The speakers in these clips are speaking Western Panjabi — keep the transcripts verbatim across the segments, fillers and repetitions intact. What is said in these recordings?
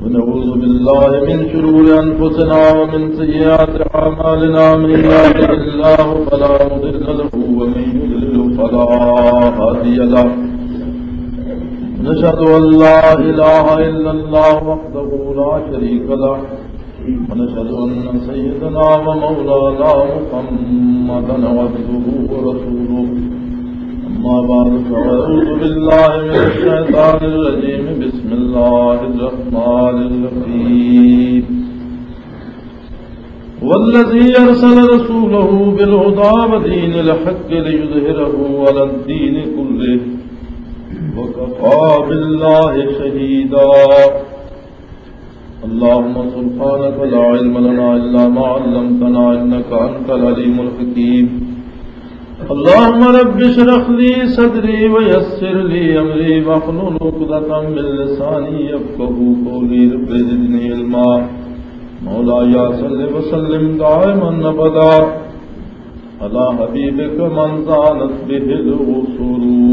ونعوذ بالله من شرور أنفسنا ومن سيئات أعمالنا. من يهده الله فلا مضل له ومن يضلل فلا هادي له. نشهد أن لا إله إلا الله وحده لا شريك له، ونشهد أن سيدنا ومولانا محمدا عبده ورسوله. أما بعد، فأعوذ بالله من الشيطان الرجيم. بسم الله الرحمن الرحيم. والذي أرسل رسوله بالهدى ودين الحق ليظهره على الدين كله وكفى بالله شهيدا. اللهم سبحانك لا علم لنا إلا ما علمتنا إنك أنت العليم الحكيم. اللهم رب اشرح لي صدري ويسر لي أمري واحلل عقدة من لساني يفقهوا قولي. رب زدني علما. مولاي صل وسلم دائما أبدا على حبيبك من زانت به الوصول.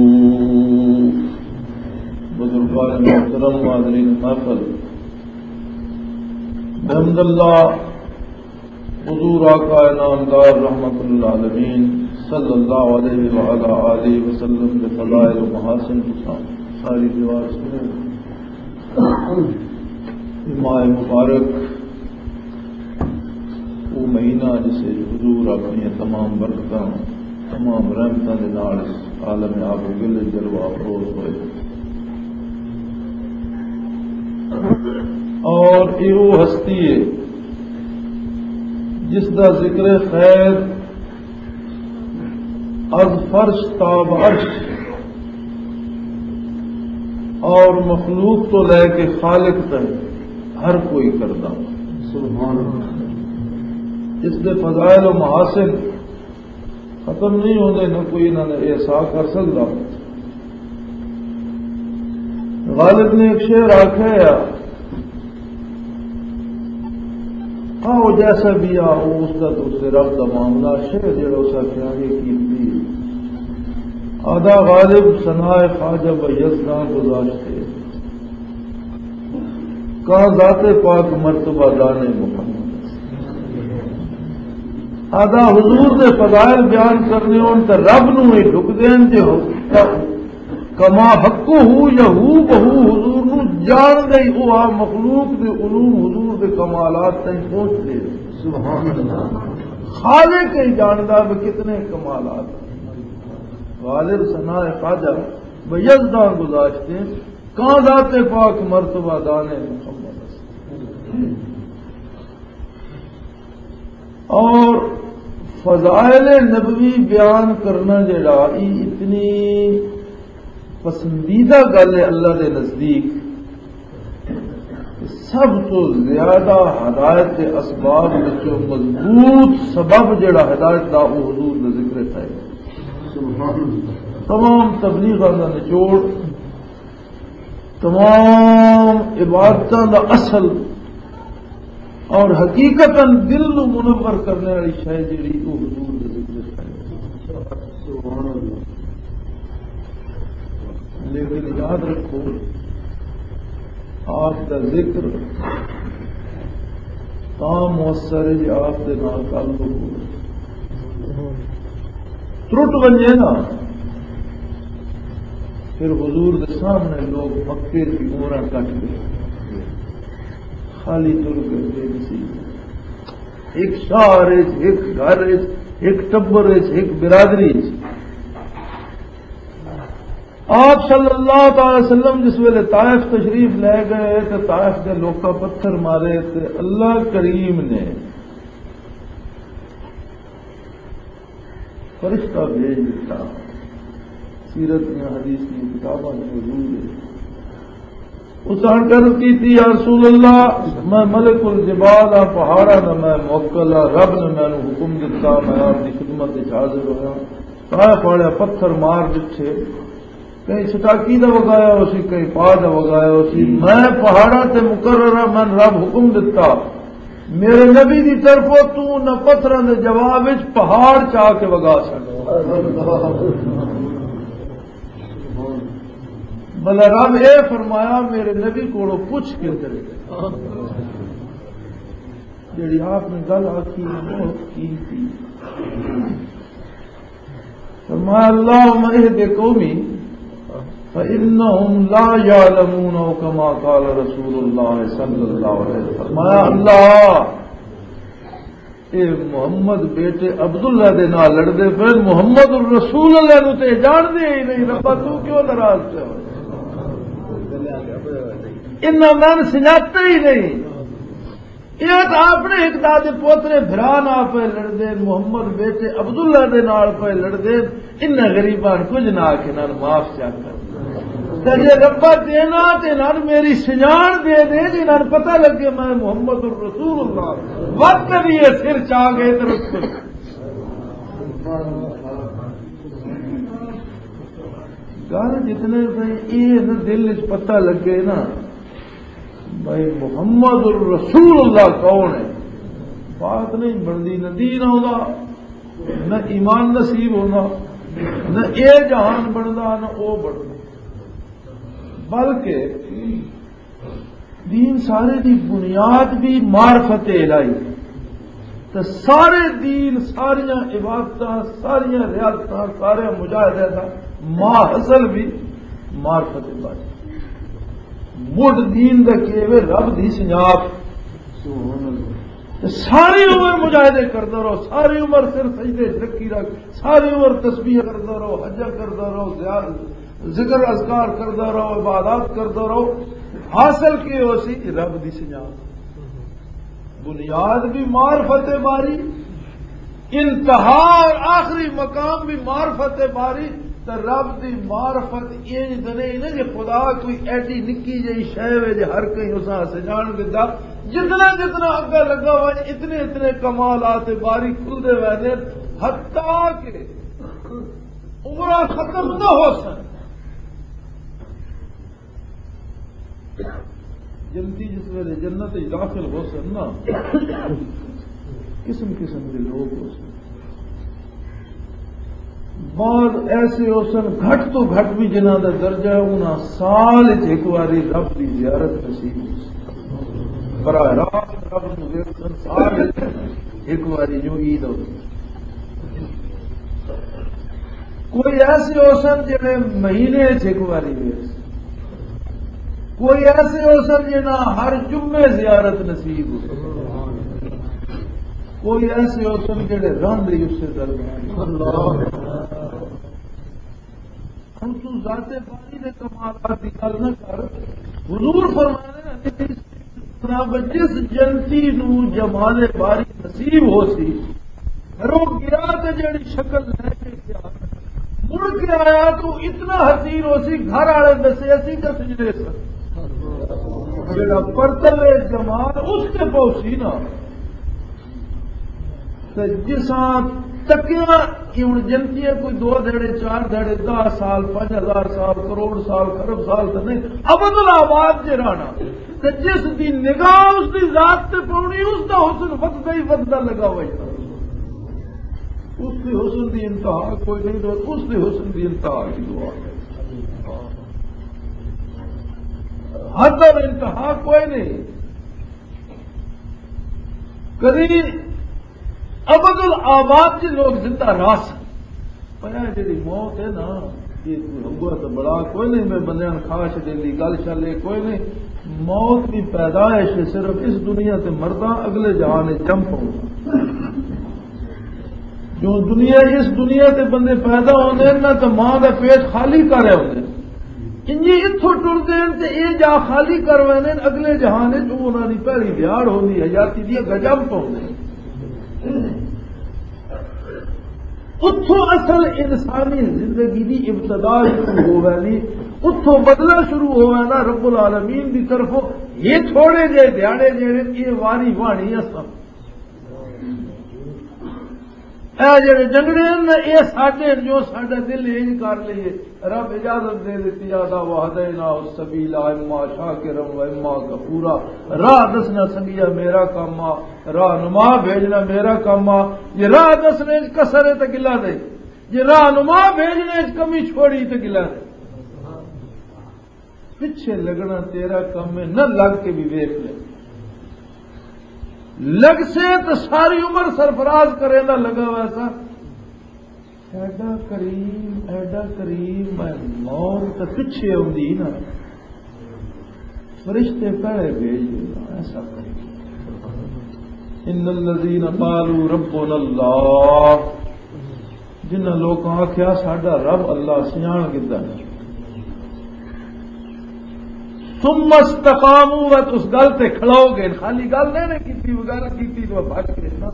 بزرگان محترم، حاضرین محفل، بحمد اللہ، حضور آقا نامدار رحمت للعالمین صلی اللہ علیہ وعلی آلہ وسلم دے فضائل و محاسن تساں ساری دیوار سنے۔ ماہ مبارک، وہ مہینہ جسے حضور اپنی تمام برکتاں، تمام رحمتاں دے نال اس عالم آب و گل جلوہ افروز ہوئے۔ اور یہ وہ ہستی ہے جس دا ذکر خیر از فرش تا عرش اور مخلوق تو لے کے خالق تک ہر کوئی کردا۔ سبحان اللہ۔ اس دے فضائل و محاسن ختم نہیں ہوندے، نہ کوئی انہاں نے احصا کر سکدا۔ غالب نے ایک شعر آکھیا ہے، آؤ جیسا بھی آؤ، اس دا تو اس دے رب دا معاملہ۔ شعر جڑا اس آکھیا، یہ قیمتی ہے۔ آدھا غالب ثنائے خواجہ و یزداں گزاشتے، کہاں ذات پاک مرتبہ دانے محمد۔ آدھا حضور دے فضائل بیان کرنے ہون تے رب نو ہی ڈھک دین، جے ہو کما حق ہو یا ہو بہو حضور نو جان دے، او آ مخلوق دے علوم حضور دے کمالات تائیں پہنچ دے۔ سبحان اللہ۔ خالق ہی جاندا بھی کتنے کمالات۔ غالب ثنا خواجہ و یزداں گزاشتے، کہاں ذات پاک مرتبہ دانے محمد۔ اور فضائل نبوی بیان کرنا جڑا، یہ اتنی پسندیدہ گل ہے اللہ دے نزدیک۔ سب تو زیادہ ہدایت دے اسباب وچوں مضبوط سبب جڑا ہدایت دا، وہ حضور دا ذکر ہے۔ سبحان اللہ۔ تمام تبلیغاں دا نچوڑ، تمام عبادتاں دا اصل اور حقیقتاً دل نو منور کرنے والی شے جڑی، او حضور دے ذکر ہے۔ لیکن یاد رکھو، آپ دا ذکر تاں مؤثر ہے جے آپ دے نال تعلق ہو۔ ترٹ ونجے نا، پھر حضور دے سامنے لوگ مکے دی عمراں کٹ گئے، خالی تر گئے، بے نصیب۔ ایک شہر وچ، ایک گھر وچ، ایک ٹبر وچ، ایک برادری وچ۔ آپ صلی اللہ تعالی وسلم جس ویلے طائف تشریف لے گئے تے طائف دے لوکاں پتھر مارے تے اللہ کریم نے فرشتہ بھیج دتا۔ سیرت دیاں حدیث دیاں کتاباں وچ موجود ہے۔ اس نے عرض کی تھی، "یا رسول اللہ، میں ملک الجبال ہاں، پہاڑاں دا میں موکل ہاں، رب نے مینوں حکم دتا، میں آپ دی خدمت وچ حاضر ہویا۔" طائف والے پتھر مار دتے، کہیں سٹاکی دا وگایا ہو سی، کہیں پا دا وگایا ہو سی۔ میں پہاڑاں تے مقرر ہاں، میں رب حکم دتا، میرے نبی دی طرفوں تو نہ پتھراں دے جواب وچ پہاڑ چا کے وگا سکدا۔ بھلا رب اے فرمایا، میرے نبی کولوں پوچھ کے کرے۔ جڑی آپ نے گل آکھی، بہت قیمتی۔ فرمایا، "اللهم اهد قومي فإنهم لا يعلمون"، او كما قال رسول الله صلى الله عليه وسلم۔ فرمایا، اللہ، اے محمد بیٹے عبداللہ دے نال لڑدے پے، محمد الرسول اللہ نو تے جان دے ہی نہیں، ربا تو کیوں ناراض پیا ہوئے؟ انہاں میں سناتے ہی نہیں۔ یہ تو اپنے ایک دادے پوترے بھرا نال پے لڑدے، محمد بیٹے عبداللہ دے نال پے لڑدے، انہاں غریباں کچھ نہ آکھے، انہاں نوں معاف چا کر۔ تے جے ربا دینا تے انہاں نوں میری سنجان دے دے، جے انہاں نوں پتہ لگے میں محمد الرسول اللہ، وقت بھی یہ سر چا گئے تے رسول۔ گل جتنے تائیں یہ نہ دل وچ پتہ لگے نا، بھائی محمد الرسول اللہ کون ہے؟ بات نہیں بنتی، نہ دین آوندا، نہ ایمان نصیب ہونا، نہ اے جہان بندا، نہ او بندا۔ بلکہ دین سارے دی بنیاد بھی معرفت الہی۔ تے سارے دین، ساریاں عبادتاں، ساریاں ریاضتاں، سارے مجاہدے دا ماحصل بھی معرفت الہی۔ مڈ دین دا کی وے؟ رب دی سنجاب۔ تے ساری عمر مجاہدے کردا رہو، ساری عمر سر سجدے چ رکھی رکھ، ساری عمر تسبیح کردا رہو، حجہ کردا رہو، زیار-، ذکر اذکار کردا رہو، عبادات کردا رہو۔ حاصل کی ہو سی؟ رب دی سنجاب۔ بنیاد بھی معرفت باری، انتہا اور آخری مقام بھی معرفت باری۔ تے رب دی معرفت انج دے نہیں نا، جے خدا کوئی ایڈی نکی جئی شے وے جے ہر کہیں اساں سجان دتا۔ جتنا جتنا اگا لگا ہوا، اتنے اتنے کمالات باری کھلدے ویندے، حتیٰ کہ عمراں ختم نہ ہو سن۔ جنتی جس ویلے جنت وچ داخل ہو سن نا، قسم قسم دے لوگ ہو سن۔ بعض ایسے ہو سن، گھٹ تو گھٹ بھی جنہاں دا درجہ ہے، انہاں سال وچ ایک واری رب دی زیارت نصیب ہو سن۔ براہ راست رب نوں ویکھ سن، سال وچ ایک واری جو عید ہو۔ کوئی ایسے ہو سن جڑے مہینے چ ایک واری ویس، کوئی ایسے ہو سن جنہاں ہر جمعے زیارت نصیب ہو، کوئی ایسے ہو سن جڑے راندے ہی اسے درمیان۔ ہن تو ذات باری دے کمالات دی گل نہ کر۔ حضور فرمانے حدیث، جس جنتی نو جمال باری نصیب ہو سی، گھروں گیا تے جڑی شکل لے کے گیا، مڑ کے آیا تو اتنا حسین ہو سی، گھر والے دسے اسی تے سجدے سن۔ جڑا پرتلے جمال اس تے پہنچی نا، تے جساں تکیاں، یہ ہن جنتی ہے، کوئی دو دھڑے، چار دھڑے، دہ سال، پنج ہزار سال، کروڑ سال، خرب سال تے نہیں، ابد الآباد جے رہنا۔ تے جس دی نگاہ اس دی ذات تے پاؤنی، اس دا حسن وددا ہی وددا لگا ہویا۔ اس دی حسن دی انتہا کوئی نہیں، تو اس دی حسن دی انتہا کی دعا ہے۔ حد اور انتہا کوئی نہیں۔ کدی ابد الآباد چ لوگ زندہ رہ سن۔ پر اے جڑی موت ہے نا، یہ کوئی ہوا تو بڑا کوئی نہیں، میں بندیاں نوں کھا چھڈے دی گل شل، یہ کوئی نہیں۔ موت دی پیدائش ہے، صرف اس دنیا تے مرداں، اگلے جہان وچ جم پاؤں۔ جو دنیا، اس دنیا تے بندے پیدا ہوندے ہیں نا، تے ماں دا پیٹ خالی کر رہے ہوندے ہیں۔ انجی اتھوں ٹردے ہیں تے اے جا خالی کر ویندے ہیں، اگلے جہان وچ وہ انہاں دی پہلی دیہاڑ ہوندی ہے، حیاتی دی گجم پاؤندے ہیں۔ اتھوں اصل انسانی زندگی دی ابتدا شروع ہو ویندی، اتھوں بدلہ شروع ہو ویندا رب العالمین دی طرفوں۔ یہ تھوڑے جے دیہاڑے جڑے، یہ واری وانی اساں اے جڑے جنگڑے ہن، اے ساڈے ہن، جو ساڈا دل انج کر لئیے۔ رب اجازت دے دتی، آہدا وہدینا السبیل اما شاکرا و اما کفورا۔ راہ دسنا سنگیا میرا کم آ، راہ نما بھیجنا میرا کم آ۔ جے راہ دسنے وچ کسر ہے تے گلا دے، جے راہ نما بھیجنے وچ کمی چھوڑی تے گلا دے۔ پچھے لگنا تیرا کم ہے، نہ لگ کے بھی ویکھ لے۔ لگ سے تو ساری عمر سرفراز کرے دا لگا ہوا سا۔ ایڈا کریم، ایڈا کریم، میں موت تے پچھے آندی نا، فرشتے پہلے بھیج دینا، ایسا کریم۔ ان الذین قالوا ربنا اللہ، جنہاں لوکاں آکھیا، "ساڈا رب اللہ سیاح کدا ہے۔" ثم استقاموا، وہ اس گل تے کھلو گئے، خالی گل نہیں نے کیتی، وہ گل کیتی تو بھج گئے نا۔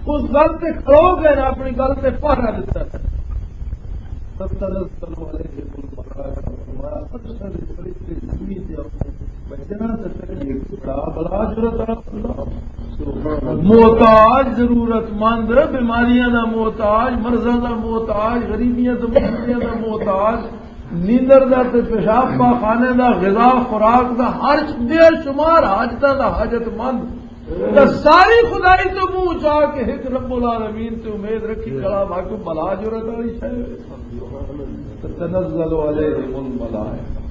اس گل تے کھلو گئے نا، اپنی گل تے پہرا دتا۔ تتنزل علیہم الملائکۃ، فرمایا، اکثر فرشتے زمین تے آتے ہیں، بچنا تے تکلیف بڑا بلا جرت۔ محتاج، ضرورت مند، بیماریاں دا محتاج، مرضاں دا محتاج، غریبیاں تے مصیبتاں دا محتاج، نیندر دا تے پیشاب پاخانے دا، غذا خوراک دا، ہر بے شمار حاجتاں دا حاجت مند۔ تے ساری خدائی تو منہ چا کے ایک رب العالمین تے امید رکھی، کلا بھاگ بلا جرت والی شے۔ تتنزل علیہم الملائکہ۔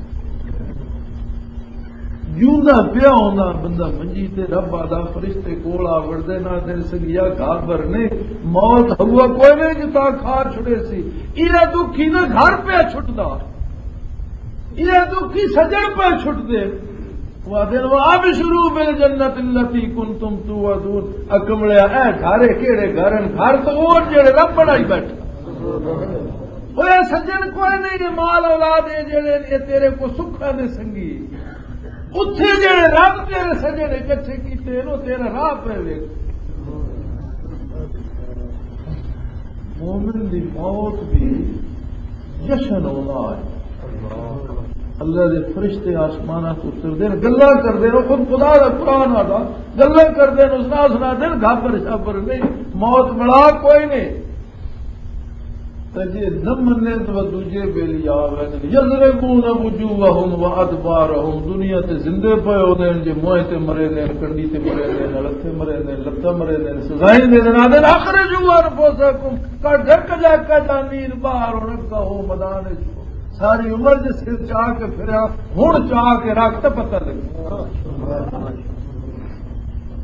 جیوندا پیا ہوندا بندہ منجی تے، رب آدا فرشتے کول آ وڑدے، نہ دن سنگیا گھابر نہیں، موت ہوا کوئی نہیں جتا کھا چھڑے سی۔ ایرا دکھی نہ گھر پیا چھٹدا، ایرا دکھی سجن پیا چھٹدے۔ وہ آدھے، "وابشروا بالجنت التی کنتم توعدون۔" اکملیا، اے گھر ہے، کیڑے گھر ہیں؟ گھر تو وہ جڑے رب بنائی بیٹھا۔ اوے سجن کوئی نہیں، یہ مال اولاد ہے جڑے، یہ تیرے کو سکھاں دے سنگی۔ اتھے جڑے رب تیرے سجن اکٹھے کیتے ہیں، وہ تیرا راہ پہ ویکھ۔ مومن دی موت بھی جشن ہونا ہے۔ اللہ دے فرشتے آسماناں تو اتردے نے، گلاں کردے نے، خود خدا دا قرآن آدا، گلاں کردے نے، سنا سنا دے نے، گھابر شابر نہیں، موت ملا کوئی نہیں۔ تے جے نہ منے تو دوجے بیلی آ ویندے، یضربون وجوہہم و ادبارہم، دنیا تے زندے پئے ہوندے نے، جے موئے تے مرے نے، کنڈی تے مرے نے، لتھے مرے نے، لتاں مرے نے، سزائیں دے دے، آدھے، "اخرجوا انفسکم"، کڈھ کجا کجا نیر باہر ہن اگا ہو میدان وچ۔ ساری عمر جس سر چا کے پھریا، ہن چا کے رکھ تے پتہ لگے۔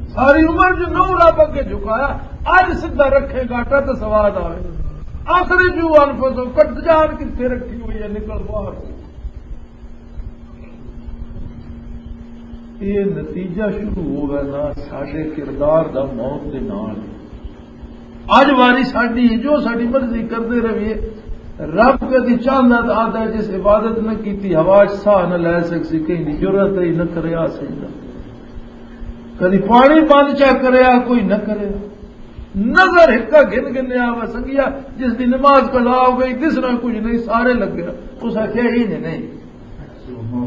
ساری عمر جو نو رب اگے جھکایا، اج سدھا رکھے گاٹا تے سواد آوے۔ اخرجوا انفسکم، کٹ جان کتھے رکھی ہوئی ہے، نکل باہر۔ یہ نتیجہ شروع ہوگا نا ساڈے کردار دا موت دے نال۔ اج واری ساڈی جو ساڈی مرضی کردے رہیے، رب کدی چاہندا تے آہدا جس عبادت نہ کیتی، ہوا چ ساہ نہ لے سکسی، کہیں دی جرات ہی نہ کریا سجدہ۔ کدی پانی بند چا کریا، کوئی نہ کریا۔ نظر ہکا گھن گھنیا وا سنگیا، جس دی نماز قضا ہو گئی، دسنا کچھ نہیں، سارے لگے۔ اس آکھیا، "یہ نہیں، نہیں۔"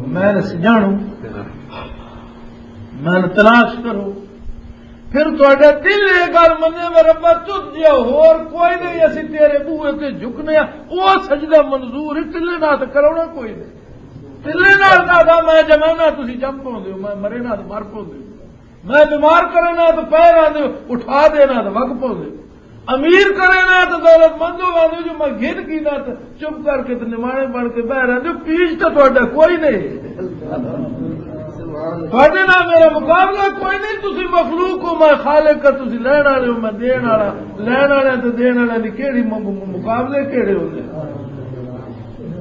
میں نے سجانو، میں نے تلاش کرو۔ پھر تہاڈا دل یہ گل منے، "میں ربا تجھ جیا ہور کوئی نہیں، اسی تیرے بوئے تے جھکنے آ۔" او سجدہ منظور ہے، ٹلے نال تے کرونا کوئی نہیں۔ ٹلے نال نہ دا، میں جمانا، تسی جم پوندے ہو، میں مرے نال مر پوندے ہو۔ میں بیمار کرنا تو پیر آندے ہو، اٹھا دینا تو وگ پوندے ہو۔ امیر کرنا تو دولت مند ہو آندے ہو، جو میں گھن کی نہ تو چپ کر کے تے نمانے بن کے بہ رہندے ہو، پیچ تے تہاڈا کوئی نہیں۔ تہاڈے نال میرا مقابلہ کوئی نہیں، تسی مخلوق ہو، میں خالق ہاں، تسی لین والے ہو، میں دین والا۔ لین والے تے دین والے دی کیڑی م-، م-، مقابلے کیڑے ہوندے؟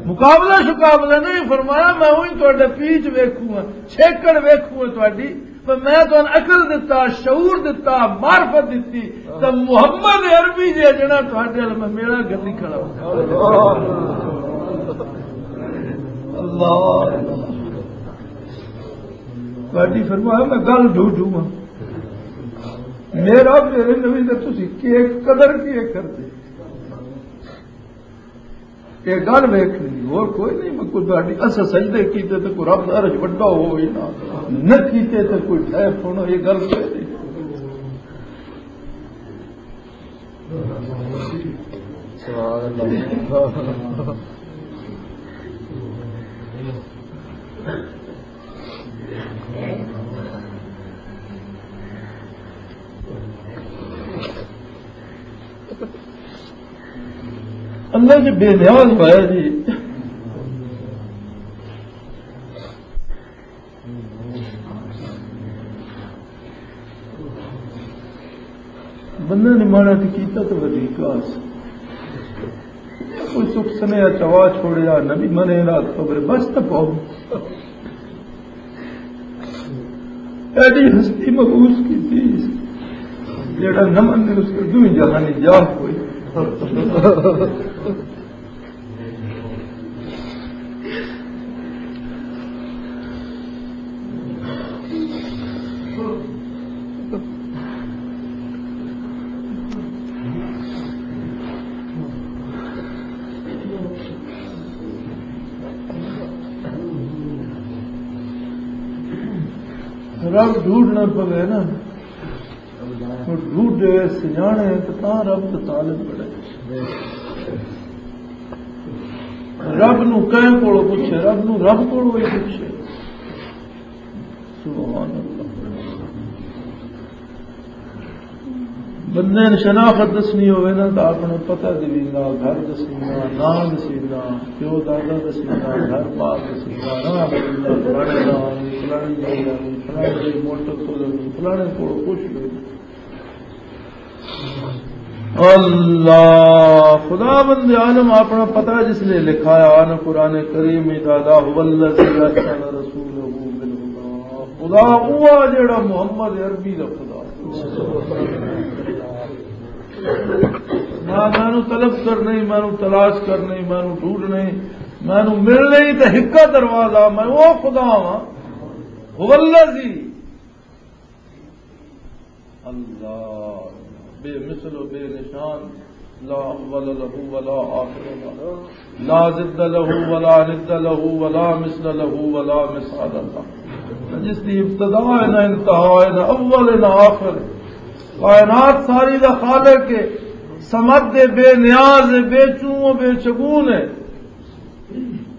مقابلہ شقابلہ نہیں فرمایا، میں وہی تہاڈے پیچ ویکھوں ہاں، چھیکڑ ویکھوں ہاں تہاڈی، پر میں تہاڈے عقل دتا، شعور دتا، معرفت دتی، تے محمد عربی جے جڑا تہاڈے ال میں میرا گلی کھڑا ہوں۔ اللہ۔ تہاڈی فرمایا میں گل ڈھو ڈھو ہاں۔ میرا میرے نبی دے تسی کی قدر کی کرتے؟ یہ گل ویکھنی، اور کوئی نہیں۔ میں کوئی تہاڈی، اساں سجدے کیتے تے کوئی رب دا عرش وڈا ہوئے نا، نہ کیتے تے کوئی ٹھہر سنو، یہ گل کوئی نہیں۔ سبحان اللہ۔ اللہ جی بے نیاز ہوا ہے جی۔ بندے نے ماڑا تے کیتا تو ودی کاس۔ کوئی سکھ سنیا چوا چھوڑیا، نبی منے رات قبر بس تک پہنچ۔ ایڈی ہستی مبوس کی تھی، جیڑا نہ منے اس کو دوئی جہانی جاہ کوئی۔ رب ڈھونڈنا پوے نا، اور ڈھونڈے سجانے تو تاں رب تو طالب بڑے۔ رب نو کہیں کولوں پوچھے، رب نو رب کولوں ہی پوچھے۔ سبحان اللہ۔ بندے نے شناخت دسنی ہوئے نا، تو اپنا پتہ دسیندا، گھر دسیندا، نام دسیندا، پیو دادا دسیندا، گھر بار دسیندا، نام دسیندا، فلانے دا، فلانے دا، فلانے دی موٹر کھولنی، فلانے کول کچھ نہیں۔ اللہ خدا بند عالم اپنا پتہ جس نے لکھایا نا قرآن کریم میں، دادا هو الذي ارسل رسوله بالهدى۔ خدا ہوا جڑا محمد عربی دا خدا۔ نہ مینوں طلب کر نہیں، مینوں تلاش کر نہیں، مینوں ڈھونڈ نہیں، مینوں مل نہیں تے ہکا دروازہ، میں وہ خدا ہاں۔ هو الذي، اللہ، بے مثل و بے نشان، لا اول له ولا آخر له، لا ضد له ولا ند له ولا مثل له ولا مثال له۔ جس دی ابتدا ہے نہ انتہا ہے، نہ اول ہے نہ آخر ہے۔ کائنات ساری دا خالق ہے، صمد دے بے نیاز ہے، بے چوں و بے چگون ہے۔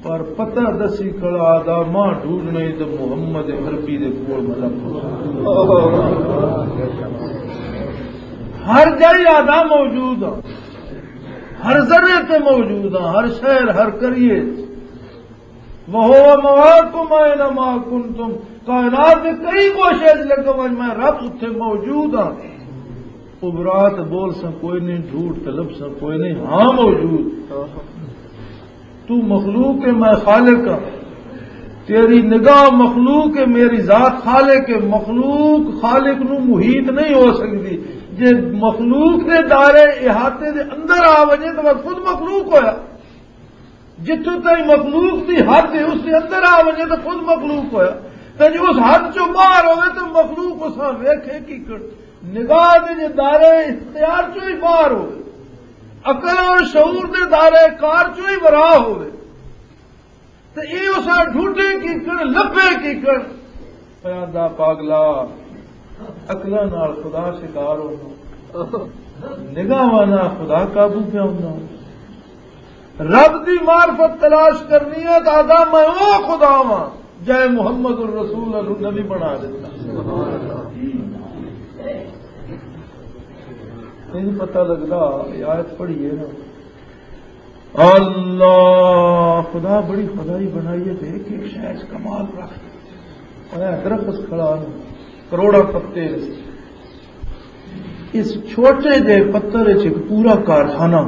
پر پتہ دسی کھڑا دا ماں ڈھونڈ نہیں تے محمد عربی دے کول مطلب۔ ہر جائی آدھا موجود ہاں، ہر ذرے تے موجود ہاں، ہر شہر، ہر قریے۔ وَهُوَ مَعَكُمْ أَيْنَ مَا كُنْتُمْ۔ کائنات دے کئی گوشے وچ لگا ونج، میں رب اتھے موجود ہاں۔ ابرات بول سا کوئی نہیں، جھوٹ طلب سا کوئی نہیں، ہاں موجود۔ تو مخلوق ہے، میں خالق ہاں۔ تیری نگاہ مخلوق ہے، میری ذات خالق ہے۔ مخلوق خالق نو محیط نہیں ہو سکتی۔ جے مخلوق دے دائرے احاطے دے اندر آ وجے تو میں خود مخلوق ہویا۔ جتھوں تائیں مخلوق دی حد ہے، اس دے اندر آ وجے تو خود مخلوق ہویا۔ تے جے اس حد چوں باہر ہوئے تو مخلوق اساں ویکھے کی کر-، نگاہ دے جے دائرے اختیار چوں ہی باہر ہوئے، عقل اور شعور دے دائرے کار چوں ہی ورا ہوئے، تے اے اساں ڈھونڈے کی کر، لبھے کی کر۔ پیادا پاگلا، عقلاں نال خدا شکار ہونا، نگاہاں نال خدا قابو پہ ہونا۔ رب دی معرفت تلاش کرنی ہے، دادا میں او خدا واں جے محمد الرسول نو نبی بنا دیتا۔ نہیں پتہ لگدا، یہ آیت پڑھیے نا۔ اللہ خدا بڑی خدائی بنائی ہے، دیکھ کے شاید کمال رکھ۔ اور یہ درخت کھڑا ہے، کروڑا پتے، اس چھوٹے جے پتر وچ ایک پورا کارخانہ۔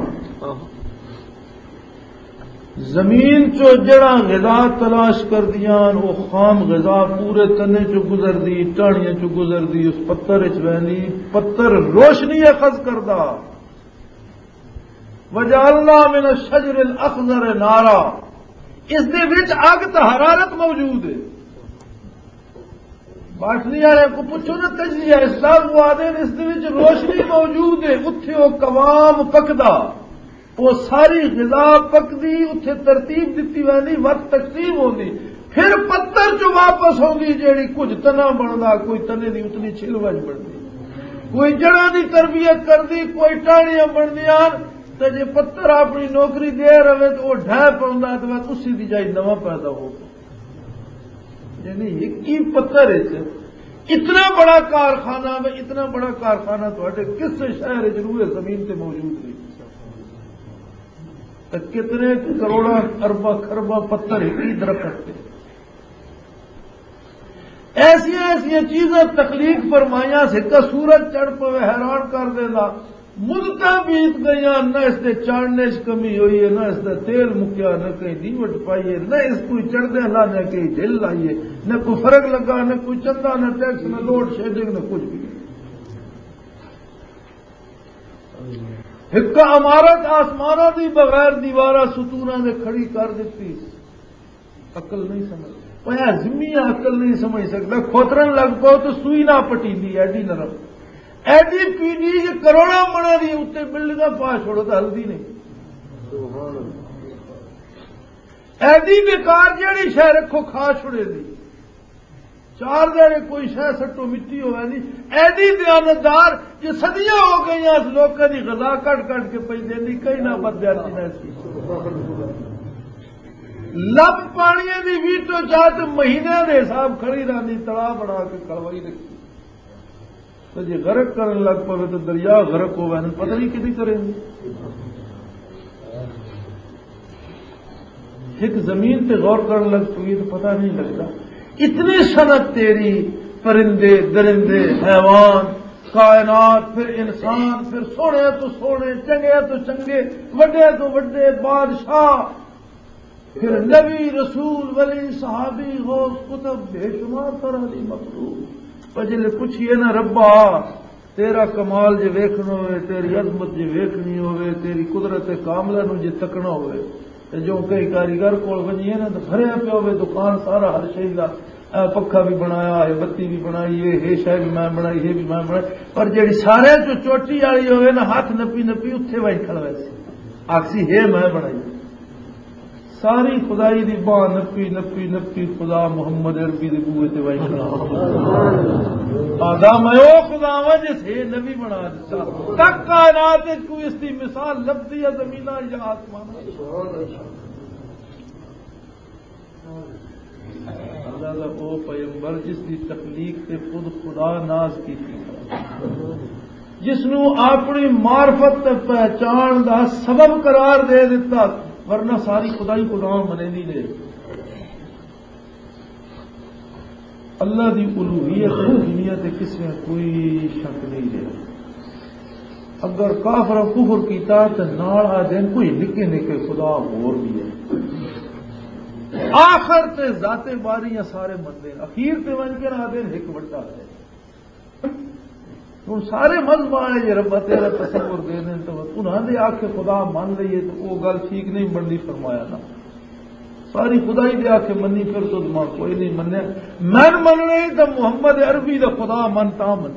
زمین چو جڑاں غذا تلاش کر دیاں، وہ خام غذا پورے تنے چو گزر دی، ٹاہنیاں چو گزر دی، اس پتر وچ ویندی، پتر روشنی اخذ کردا۔ وجعلنا من الشجر الاخضر نارا، اس دے وچ اگ تے حرارت موجود ہے۔ باٹنی والے کو پوچھو نا، تجزیہ اسلام کو آدھے نے، اس دے وچ روشنی موجود ہے، اتھے وہ قوام پکدا، وہ ساری غذا پکدی، اتھے ترتیب دتی ویندی، وقت تقسیم ہوندی، پھر پتر چ واپس آندی، جیڑی کچھ تنا بندا، کوئی تنے دی اتنی چھلوج بنتی، کوئی جڑاں دی تربیت کردی، کوئی ٹاہنیاں بندیاں۔ تے جے پتر اپنی نوکری دے رہے تو وہ ڈھہ پوندا، تے بس اسی دی جائی نواں پیدا ہو۔ یعنی ایک ہی پتر وچ اتنا بڑا کارخانہ، میں اتنا بڑا کارخانہ تھوڑے کس شہر وچ روئے زمین تے موجود نہیں۔ تے کتنے کروڑاں ارباں خرباں پتر ایک ہی درخت تے۔ ایسیاں ایسیاں چیزاں تخلیق فرمائیاں، سکا سورج چڑھ پوے، حیران کر دینا۔ مدتاں بیت گئیاں، نہ اس دے چڑھنے چ کمی ہوئی ہے، نہ اس دا تیل مکیا، نہ کہیں دیوٹ پائی ہے، نہ اس کوئی چڑھدے اللہ نے کہیں ڈھل لائی ہے، نہ کوئی فرق لگا، نہ کوئی چندہ، نہ ٹیکس، نہ لوڈ شیڈنگ، نہ کچھ بھی۔ ایک عمارت آسماناں دی بغیر دیواراں ستوناں دے کھڑی کر دتی۔ عقل نہیں سمجھ، وہ زمین عقل نہیں سمجھ سکتا۔ کھوترن لگ پاؤ تو سوئی نہ پٹیندی، ایڈی نرم، ایڈی پیڈی کہ کروڑاں منا دی اتنے بلڈنگاں پا چھوڑو تو ہلدی نہیں۔ ایڈی بیکار جیڑی شے رکھو کھا چھوڑے دی۔ چار دے کوئی شے سٹو مٹی ہوئے نہیں۔ ایڈی دیانتدار جو صدیاں ہو گئیاں اس لوکاں دی غذا کٹ کٹ کے پئی دیندی، کئی نہ بد دیاتی نہ سی۔ لب پانی دی ویٹو چاہ تے مہینے دے حساب کھڑی رہندی، تڑا بنا کے کھڑوائی رکھی۔ تے جے غرق کرن لگ پوے تے دریا غرق ہووے، ہن پتہ نہیں کدی کرے۔ ایک زمین تے غور کرن لگ پوے تے پتہ نہیں لگدا۔ اتنی صنعت تیری، پرندے، درندے، حیوان، کائنات، پھر انسان، پھر سونے تو سونے، چنگے تو چنگے، وڈے تو وڈے بادشاہ، پھر نبی، رسول، ولی، صحابی، غوث، قطب، بے شمار طرح دی مخلوق۔ پر جے پوچھیے نا، ربا، تیرا کمال جے ویکھنا ہوئے، تیری عظمت جے ویکھنی ہوئے، تیری قدرت کاملہ نو جے تکنا ہوئے، تے جو کئی کاریگر کول ونجیے نا، تے بھریا پیا ہوئے دکان سارا ہر شے دا، اے پکھا بھی بنایا ہے، بتی بھی بنائی ہے، یہ شے بھی میں بنائی، یہ بھی میں بنائی، پر جیڑی سارے چوں چوٹی والی ہوئے نا، ہاتھ نپی نپی اتھے وائی کھڑا ویسی، آکسی ہے میں بنائی۔ ساری خدائی دی باں نپی، نپی، نپی، خدا محمد عربی دے بوئے تے وائی کھڑا۔ آدھا میں او خدا واں جس ہے نبی بنا دیتا۔ تک کائنات وچ کوئی اس دی مثال لبدی ہے زمیناں یا آسماناں؟ اللہ دا او پیغمبر جس دی تخلیق تے خود خدا ناز کیتی، جس نو اپنی معرفت تے پہچان دا سبب قرار دے دتا، ورنہ ساری خدائی خدا منیندی نے۔ اللہ دی الوہیت تے دنیا تے کسے کوئی شک نہیں رہیا۔ اگر کافر کفر کیتا تے نال آ دین کوئی نکے نکے خدا ہور بھی ہے۔ آخر تے ذات باری یا سارے مندے، اخیر تے ون کے آ دین ایک وڈا ہے۔ ہن سارے مذہب والے جے رب تیرا تصور دے دین تو انہاں دے آکھے خدا من لئیے تو او گل ٹھیک نہیں بننی، فرمایا نا۔ ساری خدائی دے آکھے منی، پھر تو ماں کوئی نہیں منیا۔ من مننے تو محمد عربی دا خدا من تا من۔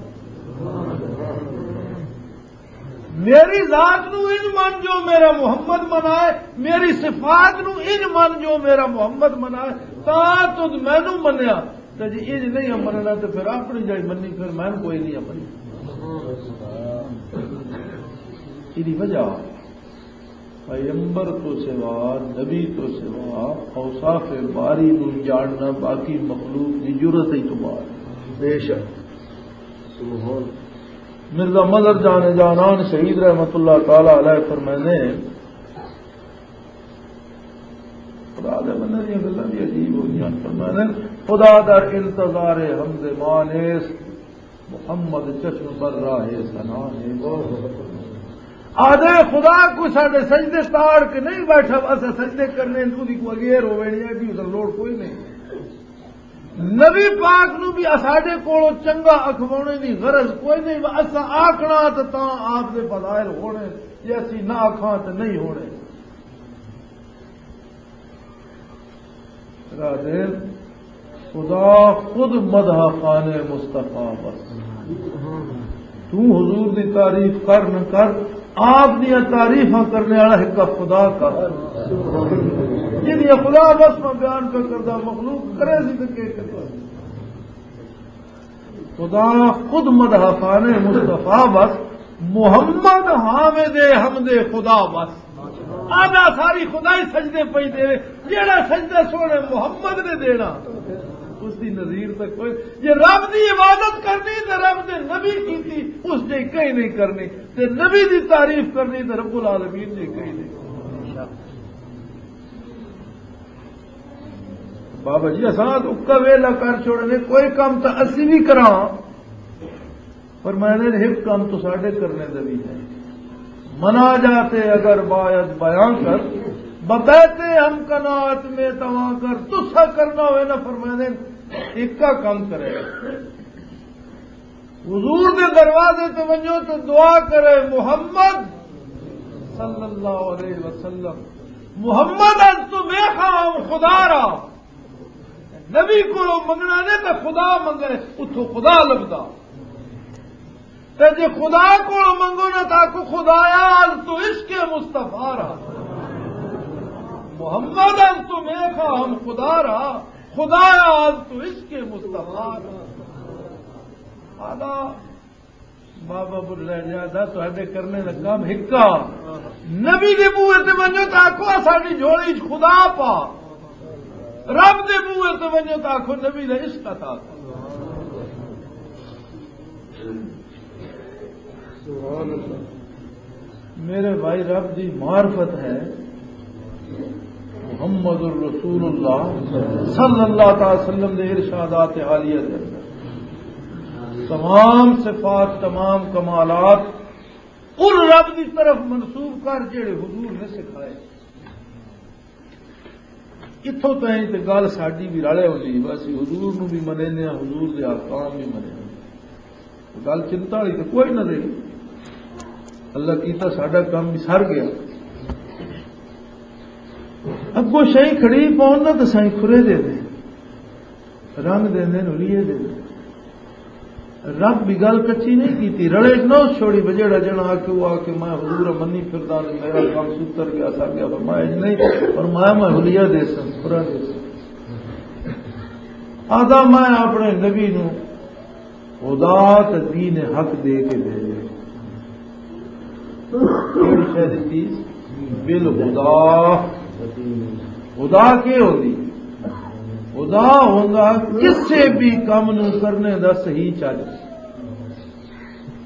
میری ذات نو ان من جو میرا محمد منائے، میری صفات نو ان من جو میرا محمد منائے، تا تد مینو منیا۔ تے جے انج نہیں مننا تے پھر اپنی جائی منی، پھر میں کوئی نہیں اپنی۔ ایدی وجہ پیغمبر تو سوا، نبی تو سوا، اوصاف باری نو جاننا باقی مخلوق دی جرت ہی تو باہر۔ بے شک۔ سبحان۔ مرزا مظہر جان جانان شہید رحمت اللہ تعالی علیہ فرمائنے، خدا دے بندے دیاں گلاں بھی عجیب ہوندیاں۔ فرمایا نے، خدا دا انتظار حمد مان ایس، محمد چشم بر راہ ثنا ہے۔ آدھے خدا کو ساڈے سجدے تاڑ کے نہیں بیٹھا، اسا سجدے کرنے، اودی کو اگے روے نہیں، ایڈی ادھر لوڑ کوئی نہیں۔ نبی پاک نو بھی اساڈے کولوں چنگا اکھوانے دی غرض کوئی نہیں، اسا آکھنا تے تاں آپ دے فضائل ہونے، جے اسی نہ آکھاں تے نہیں ہونے۔ راہ دے خدا خود مدح خانے مصطفیٰ بس۔ تو حضور دی تعریف کر نہ کر، آپ دیاں تعریفاں کرنے والا ایک خدا کر۔ جدیاں خدا بس میں بیان پہ کردہ مخلوق کرے سی تو کے کرے۔ خدا خود مدح خانے مصطفیٰ بس، محمد حامد حمد خدا بس۔ آدھا ساری خدائی سجدے پئی دے، جیڑا سجدہ سونے محمد نے دینا، اس دی نظیر تک کوئی۔ جے رب دی عبادت کرنی تے رب دے نبی کیتی، اس جے کہیں نہیں کرنی، تے نبی دی تعریف کرنی تے رب العالمین جے کہیں نہیں کرنی۔ بابا جی، اساں تو اکا ویلا کر چھوڑنے، کوئی کام تو اسی بھی کراں۔ فرمایا نے، ایک کام تو ساڈے کرنے دا بھی ہے، مناجات اگر باید بیان کر، ببیت ہم قناعت میں تواں کر، تسا کرنا ہوئے نا، فرمایا نے، ایک کا کام کرے۔ حضور دے دروازے تے ونجو تے دعا کرے، محمد صلی اللہ علیہ وسلم، محمد از تو میخواہاں خدا را۔ نبی کولوں منگنا نے تے خدا منگے، اتھوں خدا لبدا۔ تے جے خدا کولوں منگو نا تاں آکھو، خدایا از تو عشق مصطفیٰ را۔ محمد از تو میخواہاں خدا را، خدایا از تو عشق مصطفیٰ را۔ آدھا بابا بلے جا دا تہاڈے کرنے دا کم ہکا۔ نبی دے بوئے تے ونجو تاں آکھو، ساڈی جھولی چ خدا پا۔ رب دے بوئے تے ونجو تاں آکھو، نبی دا عشق عطا کر۔ سبحان اللہ۔ میرے بھائی، رب دی معرفت ہے محمد الرسول اللہ صلی اللہ تعالی وسلم دے ارشادات عالیہ دے اندر۔ تمام صفات، تمام کمالات ان رب دی طرف منسوب کر جڑے حضور نے سکھائے۔ اتھوں تائیں تے گل ساڈی بھی رلے ہوندی، بس حضور نو بھی منیندے ہاں، حضور دے احکام بھی منیندے ہاں۔ گل چنتا والی تے کوئی نہ رہی، اللہ کیتا ساڈا کم بھی سر گیا۔ اگوں شہی کھڑی پاؤن نہ تے سائیں کھرے دے دے، رنگ دے دے، نلیے دے دے۔ رب دی گل کچی نہیں کیتی، رڑے نہ چھوڑی، بجیڑا جنا آ کے وہ آ کے میں حضور منی پھردا تے میرا کم ستر گیا، سر گیا، فرمایا انج نہیں، فرمایا میں حلیہ دے سن، پورا دے سن۔ آدھا میں اپنے نبی نو خدا تے دین حق دے کے بھیجے۔ کیڑی شے دتی؟ بالہدا۔ خدا کی ہوندی؟ خدا ہوندا کسے بھی کم نو کرنے دا صحیح چج۔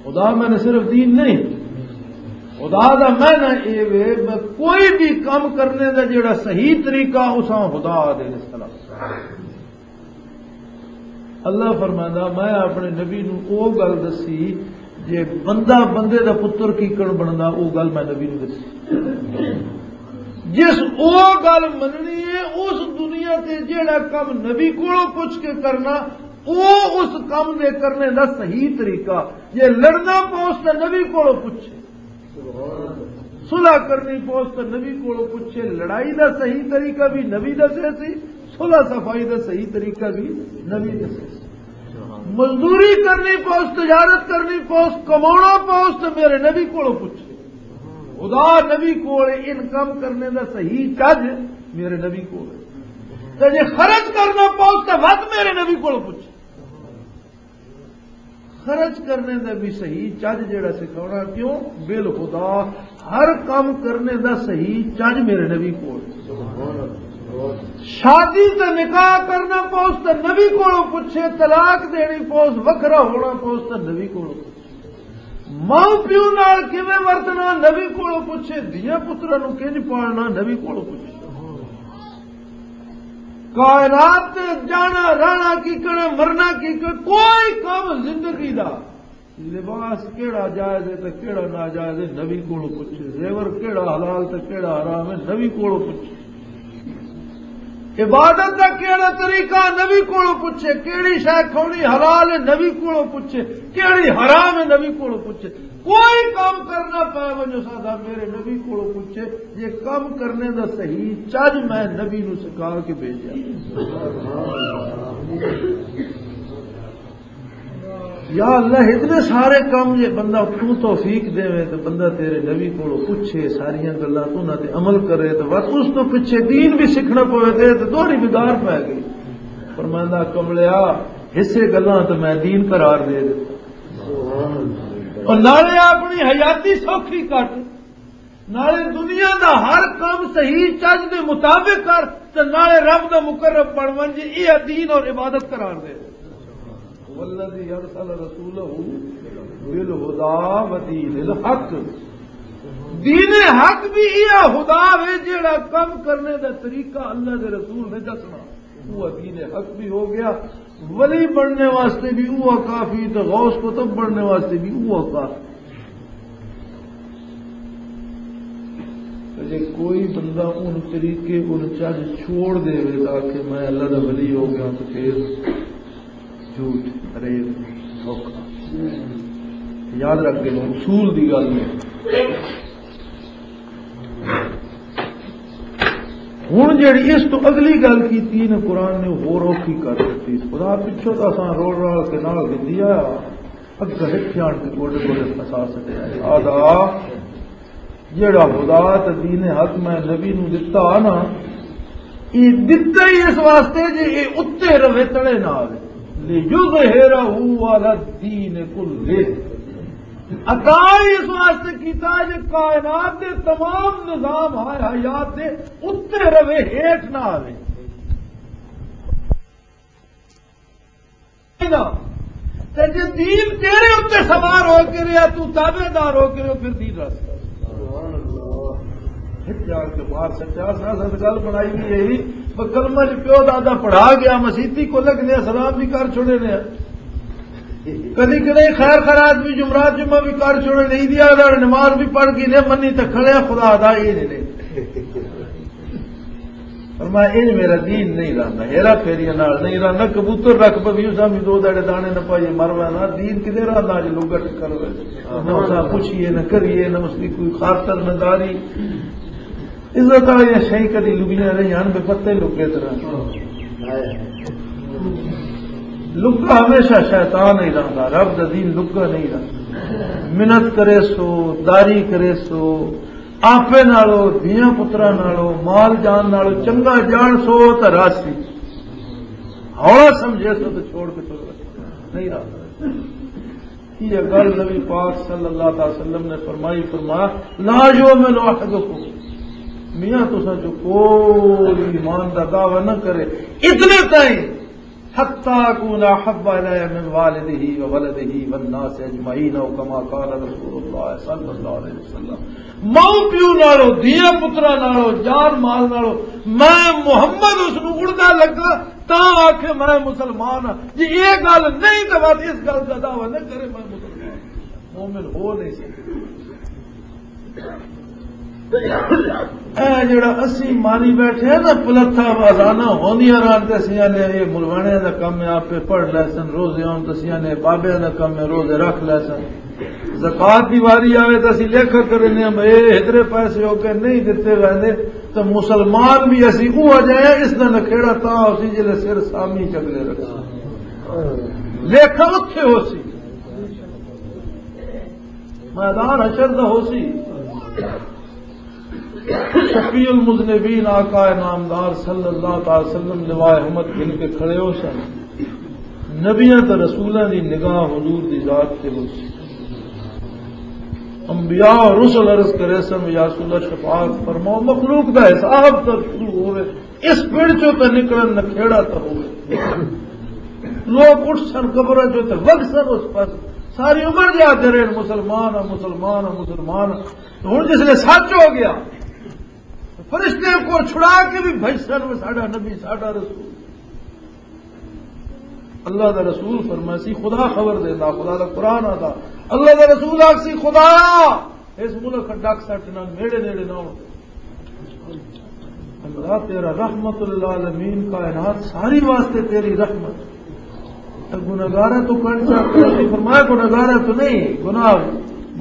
خدا میں نے صرف دین نہیں، خدا دا میں نہ اے وے، میں کوئی بھی کم کرنے دا جڑا صحیح طریقہ، اساں خدا دے اس طرح۔ اللہ فرماندا، میں اپنے نبی نو او گل دسی، جے بندہ بندے دا پتر کی کر بندا، او گل میں نبی نو دسی۔ جس او گل مننی ہے، اس دنیا تے جیڑا کم نبی کولوں پوچھ کے کرنا، او اس کم دے کرنے دا صحیح طریقہ۔ جے لڑنا پوس تے نبی کولوں پوچھے، صلح کرنی پوس تے نبی کولوں پوچھے، لڑائی دا صحیح طریقہ بھی نبی دسے سی، صلح صفائی دا صحیح طریقہ بھی نبی دسے سی۔ مزدوری کرنی پوس، تجارت کرنی پوس، کمانا پوس تے میرے نبی کولوں پوچھے۔ خدا نبی کول ان کم کرنے دا صحیح چج میرے نبی کول۔ تے جے خرچ کرنا پوس تے وقت میرے نبی کولوں پوچھے۔ خرچ کرنے دا بھی صحیح چج جڑا سکھاونا، کیوں؟ بالہدا ہر کم کرنے دا صحیح چج میرے نبی کول۔ شادی تے نکاح کرنا پوس تے نبی کولوں پوچھے، طلاق دینی پوس، وکھرا ہونا پوس تے نبی کولوں پوچھے، ماں پیو نال کیویں ورتنا نبی کولوں پوچھے، دھیاں پتراں نوں کنج پالنا نبی کولوں پوچھے۔ کائنات تے جانا، رہنا کی کنا، مرنا کی کنا، کوئی کم زندگی دا، لباس کیڑا جائز ہے تے کیڑا ناجائز ہے، نبی کولوں پوچھے۔ زیور کیڑا حلال تے کیڑا حرام ہے، نبی کولوں پوچھے۔ عبادت دا کیڑا طریقہ، نبی کولوں پوچھے۔ کیڑی شے کھاونی حلال ہے، نبی کولوں پوچھے۔ کیڑی حرام ہے، نبی کولوں پوچھے۔ کوئی کام کرنا پے ونجو ساڈا، میرے نبی کولوں پوچھے۔ یہ کام کرنے دا صحیح چج میں نبی نو سکھا کے بھیجا۔ یا اللہ، اتنے سارے کام جے بندہ تو توفیق دے تو بندہ تیرے نبی کولوں پوچھے، ساریاں گلاں تو نہ تے عمل کرے، تو وقت اس تو پیچھے دین بھی سیکھنا پوے تے، تو دوہری بدار پے گئی۔ فرماندا، کملیا، حصے گلاں تو میں دین قرار دے دیتا۔ اور نالے اپنی حیاتی سوکھی کٹ، نالے دنیا دا ہر کام صحیح چج دے مطابق کر، تے نالے رب دا مقرب بن ونج، یہ دین اور عبادت قرار دے۔ والذی ارسل رسولہ بالہدا و دین الحق۔ دین حق بھی یہ ہدا وے، جیڑا کم کرنے دا طریقہ اللہ دے رسول نے دسنا۔ وہ دین حق بھی ہو گیا، ولی بننے واسطے بھی وہ کافی، تو غوث قطب بننے واسطے بھی وہ کافی۔ تے جے کوئی بندہ ان طریقے، ان چج چھوڑ دے، تاکہ میں اللہ دا ولی ہو گیا، تو پھر جھوٹ، فریب، دھوکہ۔ یاد رکھ کے اصول دی گل نہیں۔ ہن جڑی اس تو اگلی گل کیتی نا، قرآن نے ہور اوکھی کر دتی۔ خدا پچھوں تاں اساں رول رال کے نال گندی آیا، اگے ہک جان کے گوڈے گوڈے پھسا سٹیا ہے۔ آدھا جیڑا خدا تے دین حق میں نبی نو دتا نا، یہ دتا ہی اس واسطے جے یہ اتے رہے، تلے نہ آوے۔ لِيُظْهِرَهُ عَلَى الدِّينِ كُلِّهِ۔ عطا ہی اس واسطے کیتا جے کائنات دے تمام نظام حیات دے اتے رہے، ہیٹ نہ آوے۔ تے جے دین تیرے اُتے سوار ہو کے رہیا، تو تابعدار ہو کے رہو، پھر دین رس۔ ہک جان کے مار سچا سا، سا گل بنائی بھی یہی، پر کلمہ جو پیو دادا پڑھا گیا، مسیتی کو لگنے سلام بھی کر چھوڑے نے۔ کدی کدی خیر خیرات بھی، جمعرات جمعہ بھی کر چھوڑے نے، عیدی آدھا نماز بھی پڑھ گئی نے، منی تے کھڑے خدا دا یہ نہیں۔ فرمایا، "انج میرا دین نہیں رہندا، ہیرا پھیریاں نال نہیں رہندا، کبوتر رکھ پوی، اساں بھی دو داڑے دانے نہ پائیے، مر وینا، دین کدے رہندا، اج لوگا ٹکر ہوئے۔ نہ اساں پوچھیے، نہ کریے، نہ اس دی کوئی خاطر، نہ داری۔" عزت والیاں شئی کدی لگیاں رہیاں، بے پتے لگے طرح۔ لگا ہمیشہ شیطان ہی رہندا، رب دا دین لگا نہیں رہندا۔ منت کرے سو، داری کرے سو، آپے نالو، دھیاں پتراں نالو، مال جان نالو چنگا جان سو تے راسی۔ ہولا سمجھے سو تے چھوڑ کے تر نہیں رہا۔ یہ گل نبی پاک صلی اللہ علیہ وسلم نے فرمائی، فرمایا، "لا يؤمن أحدكم۔" میاں تساں جو کوئی ایمان دا دعویٰ نہ کرے، اتنے تائیں، "حتى أكون أحب إليه من والده وولده والناس أجمعين"، أو كما قال رسول الله صلى الله عليه وسلم۔ ماؤ پیو نالو، دھیاں پتراں نالو، جان مال نالو، میں محمد اس نو اڑدا لگا، تاں آکھے میں مسلمان ہاں۔ جی یہ گل نہیں، تو بس اس گل دا دعویٰ نہ کرے میں مسلمان ہاں۔ مومن ہو نہیں سکتا۔ اے جڑا اسی ماری بیٹھے ہیں نا، پلتھا آزانہ ہوندیاں رہن تے اسیاں نے یہ ملوانے دا کم ہے، آپے پڑھ لے سن، روزے آن تے اسیاں نے بابیاں دا کم ہے، روزے رکھ لے سن۔ زکوٰۃ دی واری آوے تے اسی لیکھا کرنے ہم، اے ہدرے پیسے ہو کے نہیں دتے ویندے، تے مسلمان بھی اسی اوہ جائے، اس دا نکھیڑا تاں اسی جلے سر سامی چگلے رکھا۔ لیکھا اتھے ہو سی۔ میدان حشر دا ہو سی۔ شفیع المذنبین آقا نامدار صلی اللہ تعالی وسلم لوائے احمد گھن کے کھڑے ہو سن۔ نبیاں تے رسولاں دی نگاہ حضور دی ذات تے ہو سی۔ انبیاء اور رسل عرض کرے سن، "یا رسول اللہ، شفاعت فرماؤ، مخلوق دا حساب تر شروع ہوئے، اس پڑ چوں تے نکلن نکھیڑا تے ہوئے۔" لوگ اٹھ سن قبراں چوں تے وگ سن اس پر، ساری عمر دے آتے رہے، "مسلمان ہاں، مسلمان ہاں، مسلمان ہاں۔" ہن جس لے سچ ہو گیا، فرشتے کو چھڑا کے بھی بھجسن، "وہ ساڈا نبی، ساڈا رسول۔" اللہ دا رسول فرمایا سی، خدا خبر دیندا، خدا دا قرآن آدا، اللہ دا رسول آکھ سی، "خدا، اس ملک ڈک سٹ نہ، نیڑے نیڑے نہ ہون۔" اللہ تیرا رحمت للعالمین، کائنات ساری واسطے تیری رحمت۔ تے گناہگاراں تو کر چاہتے ہیں؟ فرمایا، گناہگاراں تو نہیں، گناہ،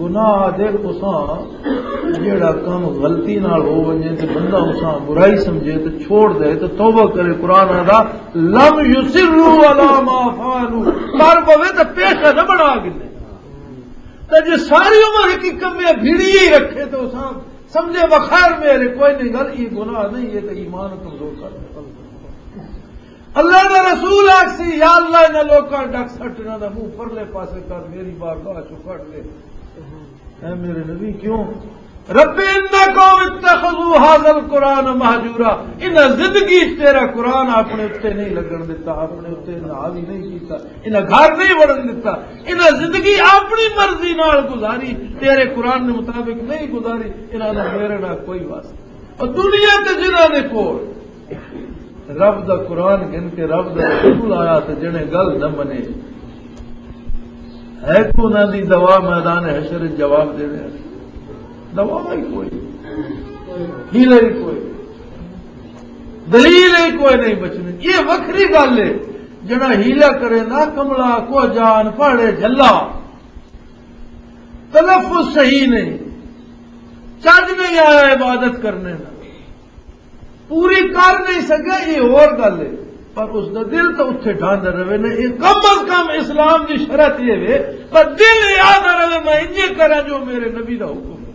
گناہ دے تساں جیڑا کم غلطی نال ہو ونجے تے بندہ اساں برائی سمجھے تے چھوڑ دے تے توبہ کرے، قرآن آدا، "لم يصروا على ما فعلوا"، کر پوے تے پیشہ نہ بنا گنے۔ تے جے ساری عمر ایک ہی کمے بھیڑی ہی رکھے تے اساں سمجھے، "بخیر میرے کوئی نہیں گل، یہ گناہ نہیں، یہ تے ایمان کمزور کر دے۔" اللہ دا رسول آکسی، "یا اللہ، انہاں لوکاں ڈک سٹ، انہاں دا منہ پرلے پاسے کر، میری بارگاہ چوں کڈ دے۔" اے میرے نبی، کیوں؟ "رب ان قوم اتخذوا هذا القرآن مهجورا۔" انہاں زندگی چ تیرا قرآن اپنے اُتے نہیں لگن دتا، اپنے اُتے نہ حاوی نہیں کیتا، انہاں گھر نہیں وڑن دتا، انہاں زندگی اپنی مرضی نال گزاری، تیرے قرآن دے مطابق نہیں گزاری، انہاں دا میرے نال کوئی واسطہ۔ اور دنیا تے جنہاں دے کول رب دا قرآن گن کے رب دا رسول آیا تے جنے گل نہ منے، ہے کو انہاں دی دوا میدان حشر وچ جواب دینے؟ دوا ہی کوئی، ہیلا ہی کوئی، دلیل ہی کوئی نہیں بچنی۔ یہ وکھری گل ہے، جڑا ہیلا کرے نا کملا کو جان پاڑے جھلا، تلفظ صحیح نہیں، چج نہیں آیا عبادت کرنے دا، پوری کر نہیں سکیا، یہ اور گل ہے۔ پر اس دا دل تو اتھے ڈھاندا رہے نے۔ یہ کم از کم اسلام دی شرط یہ وے، پر دل یاد رہے، میں انجے کراں جو میرے نبی دا حکم ہے۔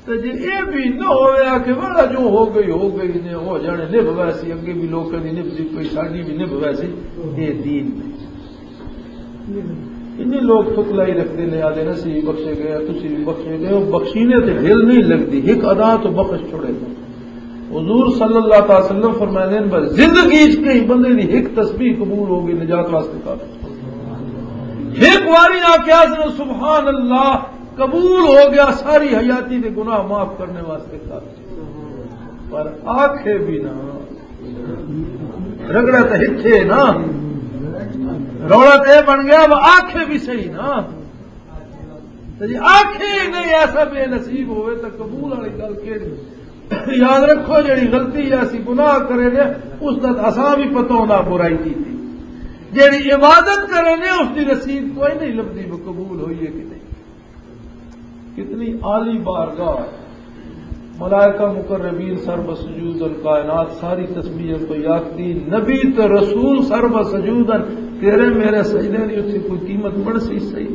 تے جے اے بھی نہ ہویا کہ بڑا جو ہو گئی، ہو گئی نے، ہو جانے، نبھ ویسی، اگے بھی لوکاں دی نبھ دی کوئی، ساڈی بھی نبھ ویسی، اے دین نہیں۔ انہیں لوگ ٹھکلائی رکھتے نے، آدھے نے، "اسی بھی بخشے گئے، تسی بھی بخشے گئے۔" وہ بخشینے تے دل نہیں لگدی، ایک ادا تو بخش چھوڑے۔ حضور صلی اللہ تعالی وسلم فرماندے نے، "بس زندگی وچ کہیں بندے دی ایک تسبیح قبول ہو گئی، نجات واسطے کافی۔" ایک واری آ کے آسن، "سبحان اللہ، قبول ہو گیا، ساری حیاتی دے گناہ معاف کرنے واسطے کافی۔" پر آکھے بھی نہ، رگڑا تو ہتھے نا، رولا تو یہ بن گیا، وہ آکھے بھی صحیح نا۔ تے جی آکھے ہی نہیں، ایسا بے نصیب ہوئے تو قبول والی گل کیڑی؟ یاد رکھو، جڑی غلطی یا اسی گناہ کرے نے، اس دا اساں بھی پتہ ہونا برائی کی تھی۔ جڑی عبادت کرے نے، اس دی رسید کوئی نہیں لبدی، وہ قبول ہوئی ہے کہ نہیں۔ کتنی عالی بارگاہ۔ ملائکہ مقربین سر بسجود، کائنات ساری تسبیح کو یاد دی۔ نبی تے رسول سر بسجود، تیرے میرے سجدے دی اتھے کوئی قیمت بن سی صحیح؟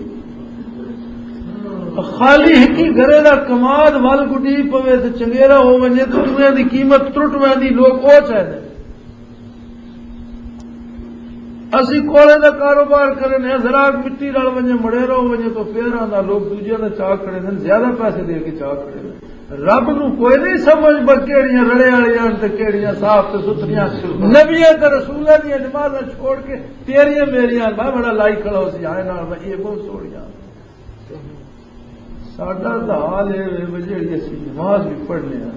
خالی ہکی گرے دا کماد ول گڈی پوے تے چنگیرا ہو ونجے تے دنیا دی قیمت ٹرٹ ویندی، لوگ او چاہندے۔ اسی کوڑے دا کاروبار کرنے ہیں، ذرا مٹی رل ونجے، مڑے رو ونجے تو پھر آندا، لوگ دوجے دا چاہ کھڑے نے، زیادہ پیسے دے کے چاہ کھڑے نے۔ رب نو کوئی نہیں سمجھ، بس کیڑیاں رڑے والیاں تے کیڑیاں صاف تے ستھریاں۔ نبیاں تے رسولاں دیاں نمازاں چھوڑ کے تیریاں میریاں، میں بڑا لائی کھڑا ہو سی، آئے نال میں یہ بہت سوڑیاں۔ ساڈا تاں حال اے وے، جیڑی اسی نماز وی پڑھنے آں،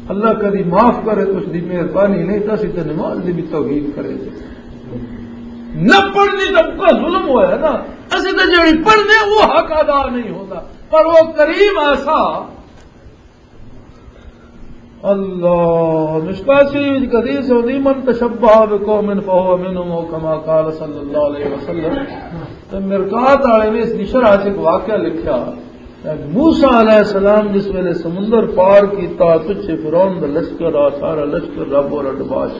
اللہ کدی معاف کرے تے اس دی مہربانی نہیں، تاں اسی تے نماز دی بھی توہین کرے۔ نہ پڑھنی تاں پکا ظلم ہویا نا۔ اسی تے جیڑی پڑھنے، وہ حق ادا نہیں ہوندا، پر وہ کریم ایسا۔ اللہ، مشکات شریف دی حدیث ہوندی، "من تشبہ بقوم فہو منہم"، او کما قال صلی اللہ علیہ وسلم۔ تے مرقات والے نے اس دی شرح چ ایک واقعہ لکھیا۔ موسیٰ علیہ السلام جس ویلے سمندر پار کیتا، پچھے فرعون دا لشکر آ، سارا لشکر رب اور اڈباش۔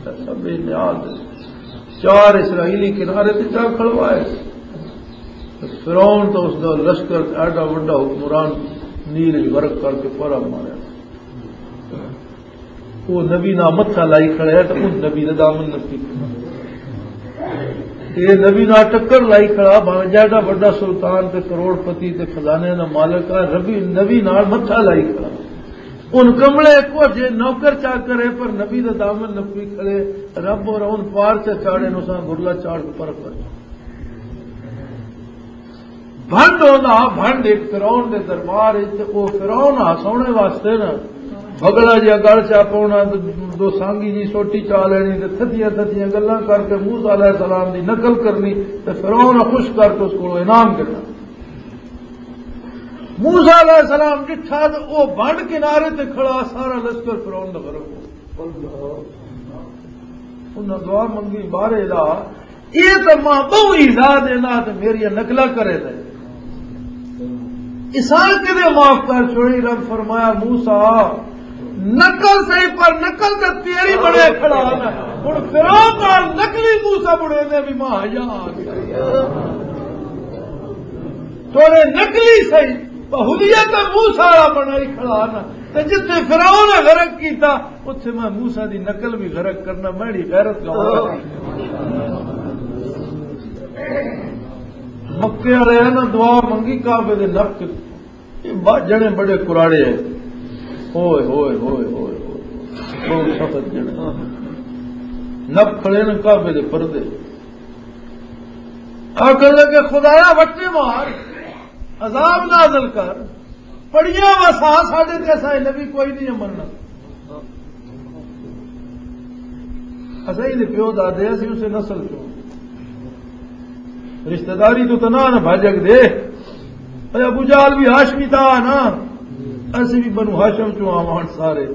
سب نیال دے۔ چار اسرائیلی کنارے تے جا کھڑوائے۔ فرعون تو اس دا لشکر ایڈا وڈا حکمران نیل وچ غرق کر کے پورا ماریا۔ وہ نبی نہ متھا لائی کھڑا ہے تو ان نبی دا دامن نپی۔ یہ نبی نہ ٹکر لائی کھڑا، بھاویں جیڈا وڈا سلطان تے کروڑ پتی تے خزانے دا مالک ہے، ربی نبی نال متھا لائی کھڑا۔ ان کملے کو جے نوکر چاکر ہے، پر نبی دا دامن نپی کھڑے۔ رب اور ان پار چا چاڑے نو سان گرلا چاڑ کے پر پر۔ بھنڈ ہوندا، بھنڈ ایک فرعون دے دربار وچ، تے او فرعون ہساونے واسطے نا بگلا جیا گل چا پاونا، تے دو سانگی جی سوٹی چا لینی، تے تھدیاں تھدیاں گلاں کر کے موسیٰ علیہ السلام دی نقل کرنی، تے فرعون خوش کر کے اس کولوں انعام گھنا۔ موسیٰ علیہ السلام ڈٹھا تے او بھنڈ کنارے تے کھڑا، سارا لشکر فرعون دا غرق ہو۔ انہاں دعا منگی، بارے لا، یہ تو ماں بہو ہی لا دینا تے میری نقلہ کرے دے۔ اسان کدے معاف کر چھوڑی؟ رب فرمایا، "موسیٰ، نقل صحیح، پر نقل تے تیری بنے کھڑا نا۔ ہن فرعون نال نقلی موسیٰ بنے دے بھی ماں حیا آ گیا۔ تھوڑے نقلی صحیح، بہولیت موسیٰ والا بنائی کھڑا نا۔ تے جتھے فرعون نے غرق کیتا، اتھے میں موسیٰ دی نقل بھی غرق کرنا، میری غیرت کا مکے والے ہیں نا، دعا منگی کعبے دے نفق، یہ با-، جنے بڑے کراڑے ہیں۔ ہوئے، ہوئے، ہوئے، ہوئے، ہوئے۔ بہت سخت جنے۔ نفق کھڑے نا کعبے دے پردے۔ آخر لگے، "خدایا، وٹے مار، عذاب نازل کر۔" پڑیاں وسا ساڈے تے، اساں نبی کوئی نہیں مننا۔ اساں ہی دے پیو دادے، اسی اسے نسل چوں۔ رشتہ داری تو تنہا نہ بھاجک دے۔ اے ابو جہل بھی ہاشمی تھا نا، اسی بھی بنو ہاشم چوں آوان سارے۔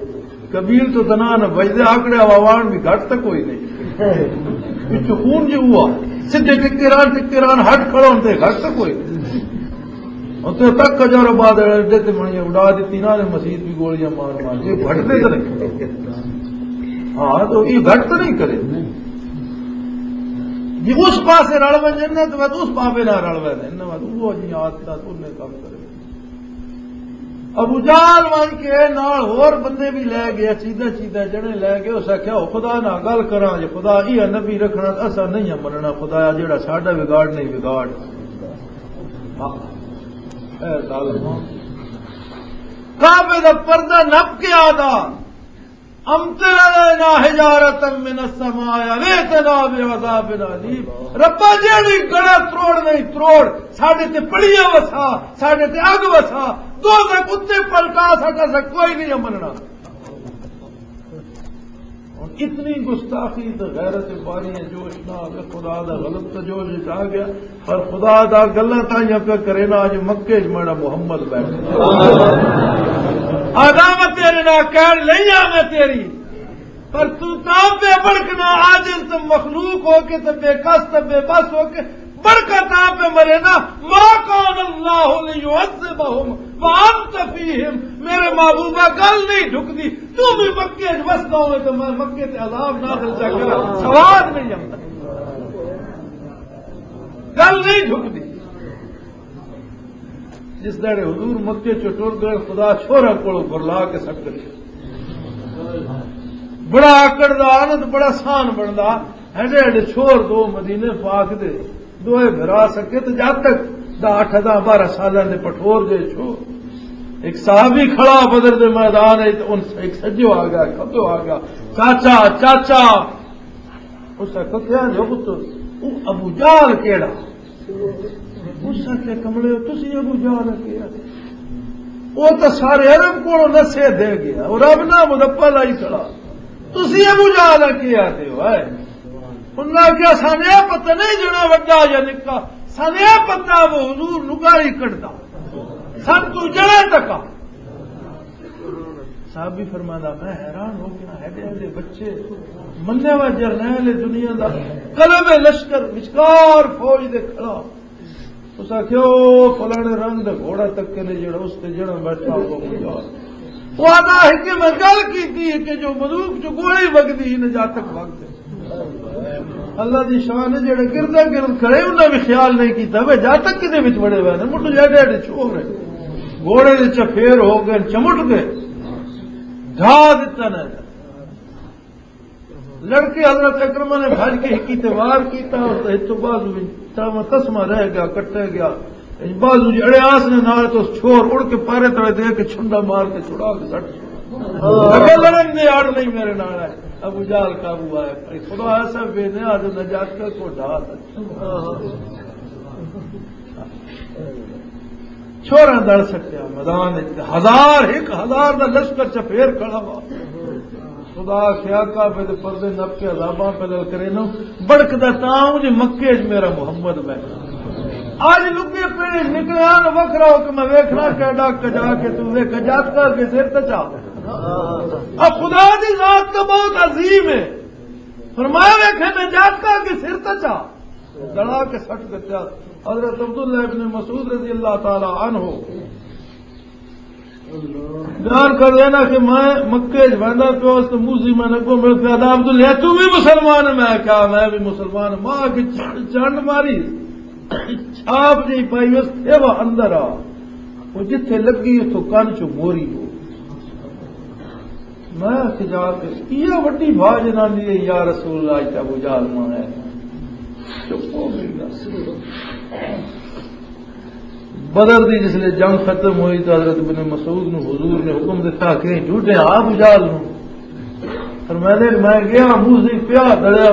قبیل تو تنہا نہ بھجدے، آکڑے آوان بھی گھٹ تک کوئی نہیں۔ پچھو خون جو ہوا، سدھے ٹکے ران، ٹکے ران، ہٹ کھڑا ہوندے، گھٹ تک کوئی نہیں۔ اور تو تک ہزاروں بعد اڈے تے منی اڈا دیتی نا، نے مسیت بھی گولیاں مار مار کے گھٹتے تو نہیں۔ ہاں، تو یہ گھٹ تو نہیں کرے۔ جی اس پاسے رل ونجن نا، تو بس اس پاپے نال رل ونجن نا، بس وہ جی آدت دا تو نے کم کرے۔ ابو جہل ون کے نال ہور بندے بھی لے گئے، چیزاں چیزاں جنے لے گئے۔ اس آکھیا، "او خدا نال گل کراں، جے خدا یہ نبی رکھنا، اسا نہیں مننا خدایا، جیڑا ساڈا بگاڑ نہیں بگاڑ۔" ہاں۔ اے ظالم۔ کعبے دا پردہ نپ کے آدا، "امطر علینا حجارة من السماء او ائتنا بعذاب الیم۔" ربا، جیڑی گڑا تروڑ نہیں تروڑ، ساڈے تے پڑیاں وسا، ساڈے تے اگ وسا، دوزخ اتے پلٹا، ساڈا سا کوئی نہیں مننا۔ ہن اتنی گستاخی تے غیرت باری ہے، جوش نہ آوے، خدا دا غضب تے جوش وچ آ گیا۔ پر خدا دا گلاں تائیں پہ کرے نا، اج مکے وچ میرا محمد بیٹھا۔ آدم تیرے نال کہن لئی آ میں تیری، پر تو تاں پہ بڑکنا، عاجز تے مخلوق ہو کے تے بے کس تے بے بس ہو کے بڑکا تاں پہ مرے نا، "ما کان اللہ لیعذبہم وانت فیہم۔" میرے محبوبہ، گل نہیں ڈھکدی، تو بھی مکے وچ وسدا ہوئے تے میں مکے تے عذاب نازل چا کرا، سواد نہیں آندا۔ گل نہیں ڈھکدی۔ جس دڑے حضور مکے چوں ٹر گئے، خدا چھوہراں کولوں برلا کے سٹ گئے۔ بڑا آکڑ دا آنند، بڑا سان بندا۔ ہڈے ہڈے چھوہر دو مدینے پاک دے، دوئے بھرا سکے تے جاتک دا اٹھ، داہ، بارہ سالاں دے پٹھور جے چھوہر۔ ایک صحابی کھڑا بدر دے میدان وچ، ان ایک سجو آ گیا، کھبو آ گیا، "چاچا، چاچا۔" اس آکھیا، "کیا جو پتر، او ابو جہل کیڑا؟" اس آکھیا، "کملے، تسی ابو جہل کیڑا؟ او تاں سارے عرب کولوں نسے دے گیا، او رب نال مدپا لائی کھڑا۔ تسی ابو جہل کیڑا آتے ہو، اے؟" انہاں آکھیا، "سانیا پتہ نہیں جنا وڈا یا نکا، سانیا پتہ وہ حضور نگاری کٹدا۔ سن تو جنا تکا۔" صحابی فرماندا، میں حیران ہو گیا، ایڈے ایڈے بچے، منیا وا جرنیل دنیا دا، قلب لشکر، وچکار فوج دے کھڑا۔ اس آکھیا، "او فلانے رنگ دا گھوڑا تکے نے جڑا اس تے جڑا بیٹھا ہوا بندہ۔" وہ آدھا ہے کہ میں گل کیتی ہے کہ جو بندوق چ گولی وگدی ہی نہ جا تک وگدے۔ اللہ دی شان ہے، جڑے گردا گرد کھڑے، انہاں بھی خیال نہیں کیتا، وے جا تک کدے وچ بڑے ہوئے نے، مٹو جا ڈیڈ چھوڑ رہے۔ گھوڑے دے چفیر ہو گئے، چمٹ گئے، ڈھا دتا نے۔ لڑکے حضرت اکرمہ نے بھج کے ہکی تے وار کیتا، اور تے ہتھوں بازو وچ تاواں تسمہ رہ گیا، کٹے گیا۔ بازو جڑے آس نے نال تو چھوڑ اڑ کے پارے تلے دے کے چھنڈا مار کے چھڑا کے سٹ چھوڑا۔ اگے لڑن دے آڑ نہیں میرے نال ہے۔ ابو جہل قابو آیا۔ خدا ایسا بے نیاز نجات کا کو ڈھا سکتا۔ چھوڑا دڑ سکیا میدان وچ، ہزار، ایک ہزار دا لشکر چ پھیر کھڑا وا۔ خدا آکھیا، کعبے دے پردے نپ کے عذاباں پہ للکرے نو، بڑکدا تاں اوں جے مکے وچ میرا محمد بیٹھا۔ اج لکے پیڑے نکلیا نہ وکھرا ہو کے میں ویکھنا کیڈا کجا کے تو ویکھ جاتکا کے سر تے چا۔ اب خدا دی ذات تو بہت عظیم ہے۔ فرمایا، ویکھے میں جاتکا کے سر تے چا۔ دڑا کے سٹ دتا۔ حضرت عبداللہ ابن مسعود رضی اللہ تعالی عنہ بیان کر دینا کہ میں مکے وچ ویندا پیا اس تے موسی میں نگوں مل پیا، "دا عبداللہ، تو بھی مسلمان ہے؟" میں کہا، "میں بھی مسلمان ہوں۔" ماں کے چ-، چنڈ ماری، چھاپ جی پائی، اس تھے وہ اندر آ، وہ جتھے لگی اتھوں کن چوں موری ہو۔ میں آکھیا، جا کے یہ وڈی بھا جنانی ہے، یا رسول اللہ، اج تے ابو جہل ماں ہے۔ چپ ہو گئی گل۔ بدر دی جس لے جنگ ختم ہوئی تو حضرت ابن مسعود نو حضور نے حکم دیتا کہ جھوٹے آ ابو جہل نو۔ فرمایا، میں گیا، موسی پیا دڑیا،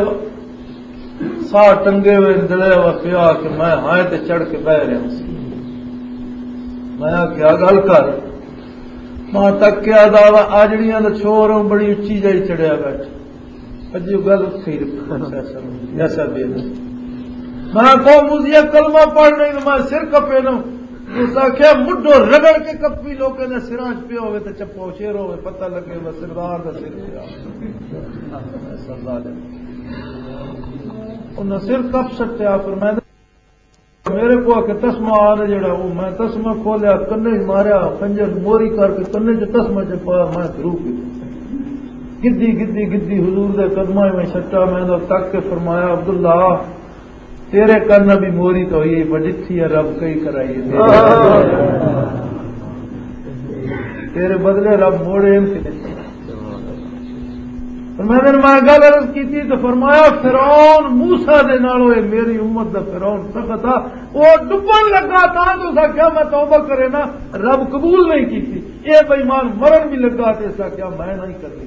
ساہ ٹنگے ہوئے دڑیا ہوا پیا کہ میں ہائے تے چڑھ کے بہ رہا سی۔ میں آکھیا، گل کر۔ وہاں تک کیا دعویٰ آجڑیاں دا چھوڑ ہوں، بڑی اچھی جائی چڑھیا بیٹھ۔ اجی گل اتھے ہی رکھو، ایسا، ایسا بے ادب۔ میں کہو مزیہ کلمہ پڑھ نہیں تو میں سر کپے نہ۔ اس آکھیا مڈو رگڑ کے کپی لوکاں دے سراں چ پیا ہوئے تے چپو شیر ہوئے، پتہ لگے میں سردار دا سر پیا۔ ایسا ظالم۔ انہاں سر کپ سٹیا، فرمایا میرے کو آ کے تسمہ آ رہا جڑا، وہ میں تسمہ کھولیا، کنے ہی ماریا، خنجر موری کر کے کنے چ تسمہ چ پایا، میں دھرو کی گدی، گدی، گدی حضور دے قدماں میں سٹا، میں دا تک کے فرمایا، "عبداللہ، تیرے کن بھی موری تو ہوئی، پر جتھی ہے رب کئی کرائی ہے۔ تیرے بدلے رب موڑے ہیں کہ نہیں؟" فرمایا، میں گل عرض کیتی تو فرمایا، فرعون موسیٰ دے نالوں اے میری امت دا فرعون سخت تھا، وہ ڈبن لگا تھا تو اسا کیا میں توبہ کرے نا، رب قبول نہیں کیتی۔ اے بے ایمان مرن بھی لگا تے اسا کیا میں نہیں کرنی۔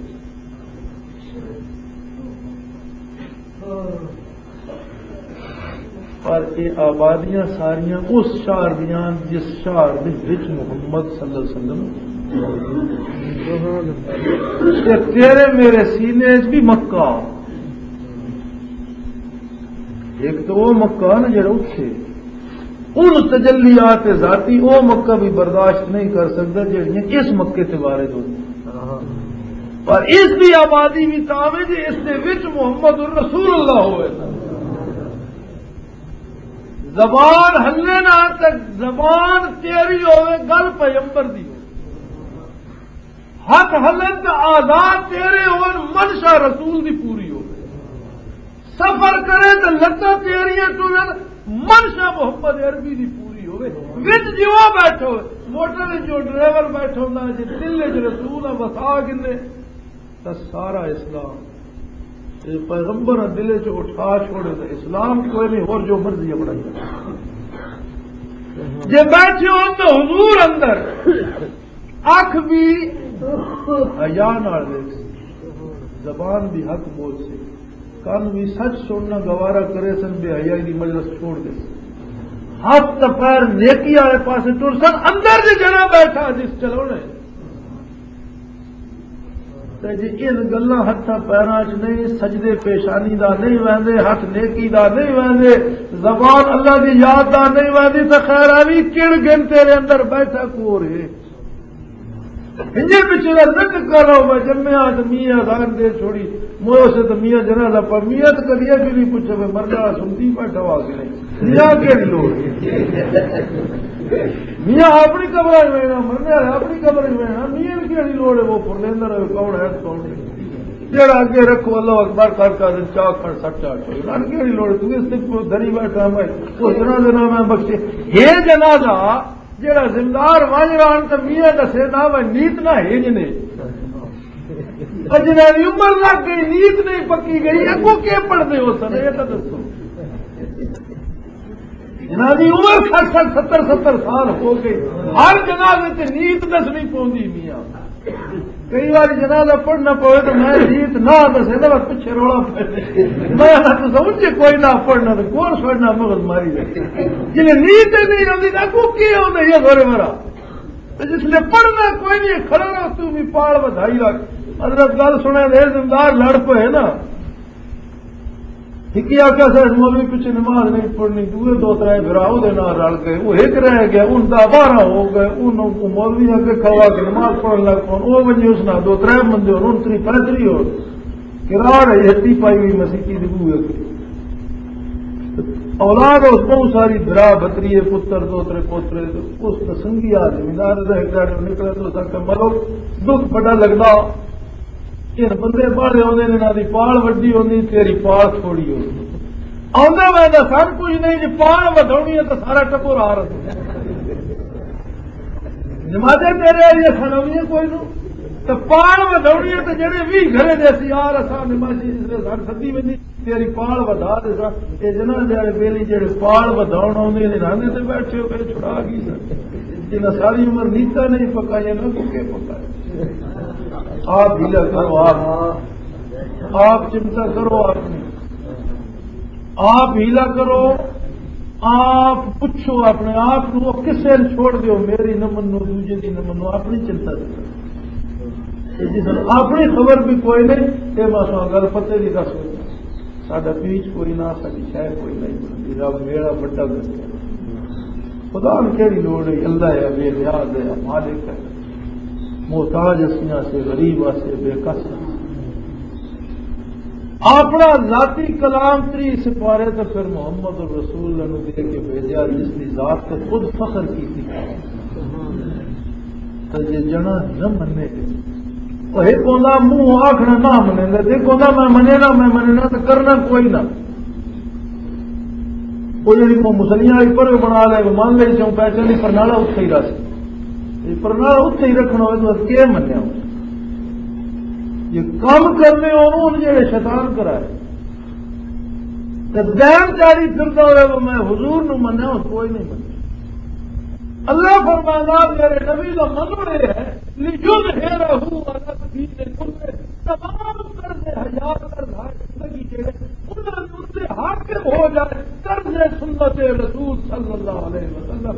پر یہ آبادیاں ساریاں اس شہر دیاں جس شہر دے وچ محمد صلی اللہ علیہ وسلم، تے تیرے میرے سینے وچ بھی مکہ۔ ایک تو وہ مکہ نا جڑا اتھے ان تجلیات ذاتی، وہ مکہ بھی برداشت نہیں کر سکتا جڑیاں اس مکے تے وارد ہوئی۔ پر اس دی آبادی بھی تاویں جے اس دے وچ محمد الرسول اللہ ہوئے۔ زبان ہلے نہ تے زبان تیری ہوئے، گل پیغمبر دی ہوئے۔ ہاتھ ہلن تے آزاد تیرے ہون، منشا رسول دی پوری ہوئے۔ سفر کرے تے لتاں تیریاں ٹرن، منشا محمد عربی دی پوری ہوئے۔ وچ جیوا بیٹھو، موٹر وچ جو ڈرائیور بیٹھا ہوندا ہے، جے دل وچ رسول آ وسا گھنے، تاں سارا اسلام، اے پیغمبر دل وچ اٹھا چھوڑے تاں اسلام کوئی نہیں، ہور جو مرضی اپنا ہی۔ جے بیٹھے ہو تو حضور اندر، اکھ بھی حیا نال ویکھ سی، زبان بھی حق بول سی، کان بھی سچ سننا گوارا کرے سن، بے حیائی دی مجلس چھوڑ دے سن۔ ہاتھ تے پیر نیکی والے پاسے ٹر سن، اندر جے جنا بیٹھا جس چلونے۔ تے جے ان گلاں ہتھاں پیراں چ نہیں، سجدے پیشانی دا نہیں ویندے، ہاتھ نیکی دا نہیں ویندے، زبان اللہ دی یاد دا نہیں ویندی، تے خیر آوی کڑ گن تیرے اندر بیٹھا کور ہے۔ انجے پچھے دا ذکر کر رہا ہوں، میں جمعہ آج میاں زان دے چھوڑی، موسے تو میاں جنازہ پر میاں تو کدی ایسے نہیں پوچھے، میں مرنا سنتی بیٹھا ہوا کہ نہیں؟ میاں کیڑی لوڑ؟ میاں اپنی قبر وچ وینا، مرنے والے اپنی قبر وچ وینا، میاں نوں کیڑی لوڑ ہے؟ وہ پرلیندر ہے، کون ہے، کون نہیں؟ جڑا اگے رکھو، اللہ اکبر کر کر چاہ کھڑ سچا چھوڑ، رن کیڑی لوڑ؟ تو اس تے کوئی دری بیٹھا میں، اس جنازے نہ میں بخشے۔ یہ جنازہ جڑا زمدار ونج رہن تے میاں دسے دا وہ نیت نہ ہج نے۔ اجنا دی عمر لگ گئی، نیت نہیں پکی گئی، اگوں کی پڑھدے ہو سن، یہ تو دسو۔ جنہاں دی عمر سٹھ سٹھ، ستر ستر سال ہو گئی، ہر جنازے تے نیت دسنی پوندی میاں۔ کئی واری جنازہ پڑھنا پوے تو میں نیت نہ دسے تو بس پچھے رولا پے۔ میں نہ تو سمجھ کے کوئی نہ پڑھنا تو کون سوچنا مغل ماری جائے۔ جنہیں نیت ہی نہیں ہوندی، نہ کو کی ہوندی ہے گھر مرا۔ تے جس نے پڑھنا کوئی نہیں، کھڑا رہ، تو بھی پال ودھائی رکھ۔ حضرت گل سنے دے، زمدار لڑ پئے نا۔ ہکی آکھیا، "سر، مولوی پچھے نماز نہیں پڑھنی۔" دوئے دو ترے بھرا او دے نال رل گئے، وہ ایک رہ گیا، ان دا بارہ ہو گئے، ان کو مولوی اگے کھوا کے نماز پڑھن لگ پون۔ او ونجے اس نال دو ترے بندے ہون، ان تری پیتری ہو۔ کراڑ ہے، ہتی پائی ہوئی مسیتی دی بوئے۔ اولاد اس بہت ساری، بھرا، بھتریے، پتر، دوترے، پوترے، اس دا سنگی آ زمیندار دا ایک گاڑی نکلے تو سا کہ ملو دکھ بڑا لگدا۔ ان بندے باہر ہوندے نے، انہاں دی پال وڈی ہوندی، تیری پال تھوڑی ہوندی۔ آندا میں دا سب کچھ نہیں، جی پال ودھونی ہے تو سارا ٹبر آ رہا۔ نمازیں تیرے آئی سنونی ہے کوئی نو، تو پال ودھونی ہے تو جڑے بھی گھرے دے سی یار، اساں نمازی جس نے سن سدی ویندی۔ تیری پال ودھا دے سا۔ اے جنازے والے بیلی جڑے پال ودھاون آوندے نے، راندے تے بیٹھے ہو کے چھڑا گئی سا۔ جنہاں ساری عمر نیتا نہیں پکایا، نہ بھوکے پکائے۔ آپ ہیلا کرو، آپ، آپ چنتا کرو، آپ نے، آپ ہیلا کرو۔ آپ پوچھو اپنے آپ نو، وہ کسے نوں چھوڑ دیو، میری نہ منو، دوجے دی نہ منو، اپنی چنتا دی کرو۔ تے جس نوں اپنی خبر بھی کوئی نہیں، تے بس ہاں گل پتے دی دس ہوئی۔ ساڈا پیچ کوئی نہ، ساڈی شے کوئی نہیں بنتی۔ رب میرا بڑا بنتا۔ خدا نوں کیڑی لوڑ ہے؟ اللہ ہے، بے نیاز ہے، مالک ہے۔ محتاج اسیاں سے، غریب اسے، بے کس اسے۔ اپنا ذاتی کلام تری سپارے تے پھر محمد الرسول نوں دے کے بھیجا، جس دی ذات تے خود فخر کیتی۔ تے جے جنا نہ منے، او ایک ہوندا منہ آکھنا نہ منے، تے ایک ہوندا میں منے نہ، میں منے نہ، تے کرنا کوئی نہ۔ وہ جڑی وہ مسلیاں والی پر بنا لے، وہ مان لے، جو پیسے نہیں، پرنالا اتھے ہی رہ سی۔ یہ پرنالا اتھے ہی رکھنا ہوئے تو کیا منیا ہو؟ یہ کام کرنے ہو، انہوں نے جڑے شیطان کرائے۔ تے دین چاری پھردا ہوئے، وہ میں حضور نو منیا، اس کوئی نہیں منیا۔ اللہ فرمانا، میرے نبی کا منو یہ ہے، لِيُظْهِرَهُ عَلَى الدِّينِ كُلِّهِ، تمام طرز حیات، طرز حیات زندگی جڑے، انہاں دے اُتے حاکم ہو جائے طرز سنت رسول صلی اللہ علیہ وسلم۔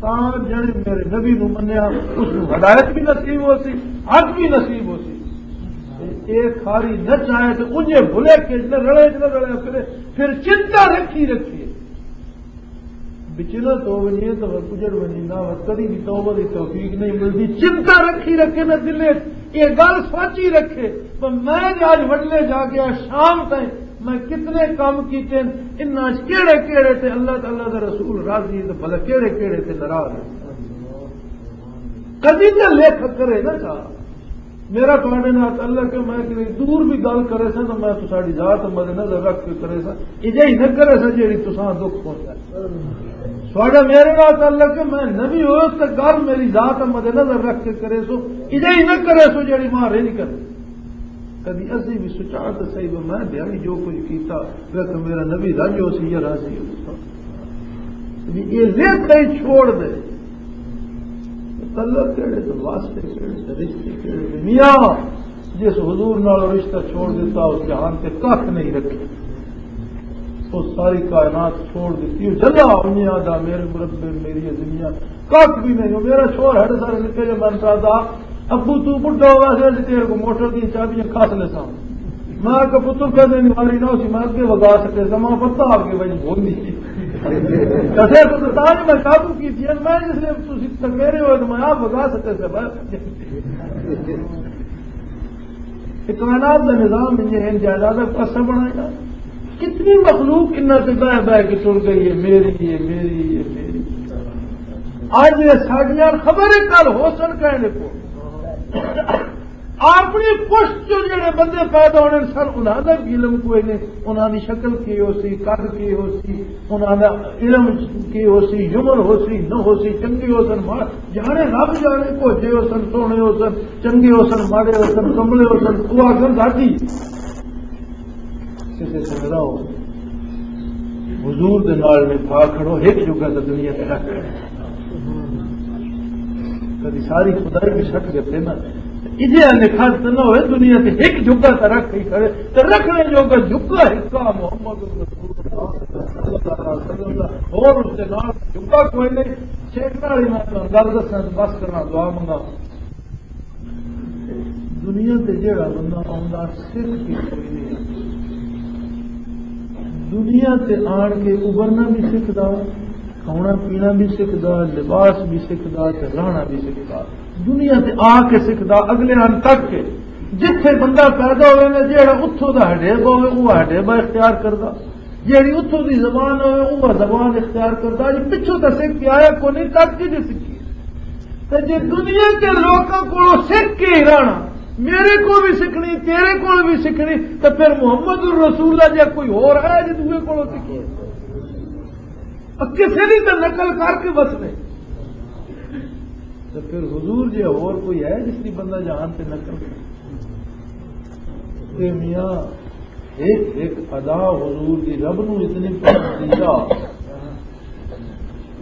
تاں جڑے میرے نبی نو منیا، اس نو ہدایت بھی نصیب ہو سی، حق بھی نصیب ہو سی۔ اے کھاری نہ چاہے تے انجے بھلے کے نہ رلے نہ رلے پھرے، پھر چنتا رکھی رکھیے۔ بچنا تو ونجے تو کجڑ ونجے نہ، کدی بھی توبہ دی توفیق نہیں ملتی۔ چنتا رکھی رکھے نہ دل وچ، یہ گل سوچی رکھے، پر میں جے اج وڈلے جا گیا شام تائیں، میں کتنے کام کیتے ہیں، انہاں وچ کیڑے کیڑے تے اللہ تعالیٰ دا رسول راضی ہے، تے بھلا کیڑے کیڑے تے ناراض ہے۔ کدی تے لکھ کرے نہ چاہ۔ میرا تہاڈے نال تعلق ہے، میں کدی دور بھی گل کرے سا تو میں تساڈی ذات مد نظر رکھ کے کرے سا، اجے ہی نہ کرے سا جیڑی تساں دکھ پہنچا۔ تہاڈا میرے نال تعلق ہے، میں نبی ہوئے تے گل میری ذات مد نظر رکھ کے کرے سو، اجے ہی نہ کرے سو جیڑی ماں رہی نہیں کرے۔ کدی اسی بھی سوچا تے صحیح، میں دیہاڑی جو کچھ کیتا، ویکھ میرا نبی راضی ہو سی یا راضی ہو سی۔ یہ لکھ ہی چھوڑ دے۔ تعلق کیڑے تے واسطے کیڑے تے رشتے کیڑے تے میاں، جس حضور نال رشتہ چھوڑ دیتا، اس جہان تے ککھ نہیں رکھے۔ اس ساری کائنات چھوڑ دیتی، وہ جلا دنیا دا، میرے مربے، میری دنیا، ککھ بھی نہیں۔ وہ میرا شور ہڑ سارے نکے جو من دا، ابو تو بڈھا ہوا سے، اسی تیرے کو موٹر دی چابیاں کھاس لے ساں۔ میں کہ پتر کدے نہیں ماری نہ اسی، میں اگے وگا سکے سا، میں پتہ آپ کے بھائی بول نہیں۔ کسے کو تو تاج میں قابو کی دیا، میں جس نے تسی تکیرے ہوئے تو میں آپ وگا سکے سا بھائی۔ یہ کائنات کا نظام یہ ہے، جائیداد کا پاسا بنائے گا۔ کتنی مخلوق انہاں تے بہ بہ کے ٹر گئی ہے، میری ہے، میری ہے، میری۔ اج یہ ساڈیاں خبر ہے کل ہو سن کہنے کو۔ اپنی پشت چوں جڑے بندے پیدا ہونے سن، انہاں دا بھی علم کوئی نہیں، انہاں دی شکل کی ہو سی، قد کی ہو سی، انہاں دا علم کی ہو سی، عمر ہو سی، نہ ہو سی، چنگے ہو سن، ماڑے، جانے رب جانے، کوجے ہو سن، سونے ہو سن، چنگے ہو سن، ماڑے ہو سن، کملے ہو سن، او آکھن ساڈی۔ کسے سنگدا ہو، حضور دے نال نبھا کھڑو، ایک جگہ تے دنیا تے رکھ۔ کدی ساری خدائی بھی سٹ گئے نا۔ اجے نکھت نہ ہوئے دنیا تے ایک جگہ تے رکھ ہی کھڑے، تے رکھنے جوگا جگہ ہکا محمد رسول اللہ صلی اللہ علیہ وسلم دا، اور اس دے نال جگہ کوئی نہیں۔ سیکھنا والی میں تانوں گل دساں تے بس کرنا، دعا منگا۔ دنیا تے جیڑا بندہ آندا سکھ کے کوئی نہیں۔ دنیا تے آن کے ابھرنا بھی سکھدا، کھانا پینا بھی سکھدا، لباس بھی سکھدا تے رہنا بھی سکھدا۔ دنیا تے آ کے سکھدا، اگلے آن تک کے جتھے بندہ پیدا ہوئے نا، جیڑا اتھوں دا ہڈیبا ہوئے، وہ ہڈیبا اختیار کردا۔ جیڑی اتھوں دی زبان ہوئے، وہ زبان اختیار کردا۔ جی پچھوں تے سکھ کے آیا کو نہیں، تک کے جی سکھی۔ تے جے دنیا کے لوکاں کولوں سکھ کے ہی رہنا، میرے کول بھی سکھنی، تیرے کول بھی سکھنی، تے پھر محمد الرسول اللہ جے کوئی ہور آیا جے دوے کولوں سکھی۔ اور کسے دی تے نقل کر کے بس نہیں۔ تے پھر حضور جے ہور کوئی ہے جس دی بندہ جہان تے نقل کرے؟ تے میاں، ایک ایک ادا حضور دی رب نو اتنی پسند کیتا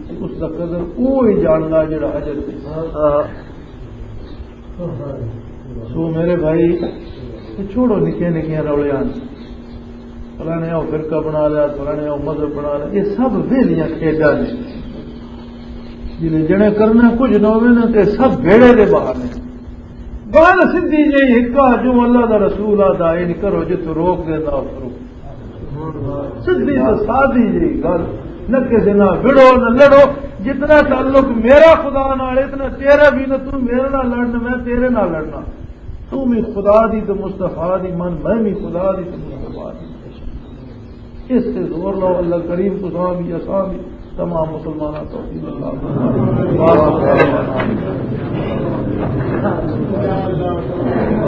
کہ اس دا قدر او ہی جاندا جڑا حجر تے۔ سو میرے بھائی، چھوڑو نکے نکے رولیاں۔ فلانے او فرقہ بنا لیا، فلانے او مذہب بنا لیا، یہ سب ویلیاں کھیڈاں نے۔ جنہیں جنے کرنا کچھ نہ ہوئے نا، تے سب بیڑے دے باہر نے۔ گل سدھی جی ہکا، جو اللہ دا رسول آدا، یہ نہیں کرو، جتوں روک دینا، اتھوں رکو۔ سدھی تے سادی جی گل، نہ کسے نال وڑو، نہ لڑو۔ جتنا تعلق میرا خدا نال، اتنا تیرا بھی نہ، تو میرے نال لڑنا، میں تیرے نال لڑنا۔ تو بھی خدا دی تے مصطفیٰ دی من، میں بھی خدا دی تے مصطفیٰ دی۔ اس تے زور لو، اللہ کریم تساں بھی، اساں بھی، تمام مسلماناں توفیق عطا فرمائے۔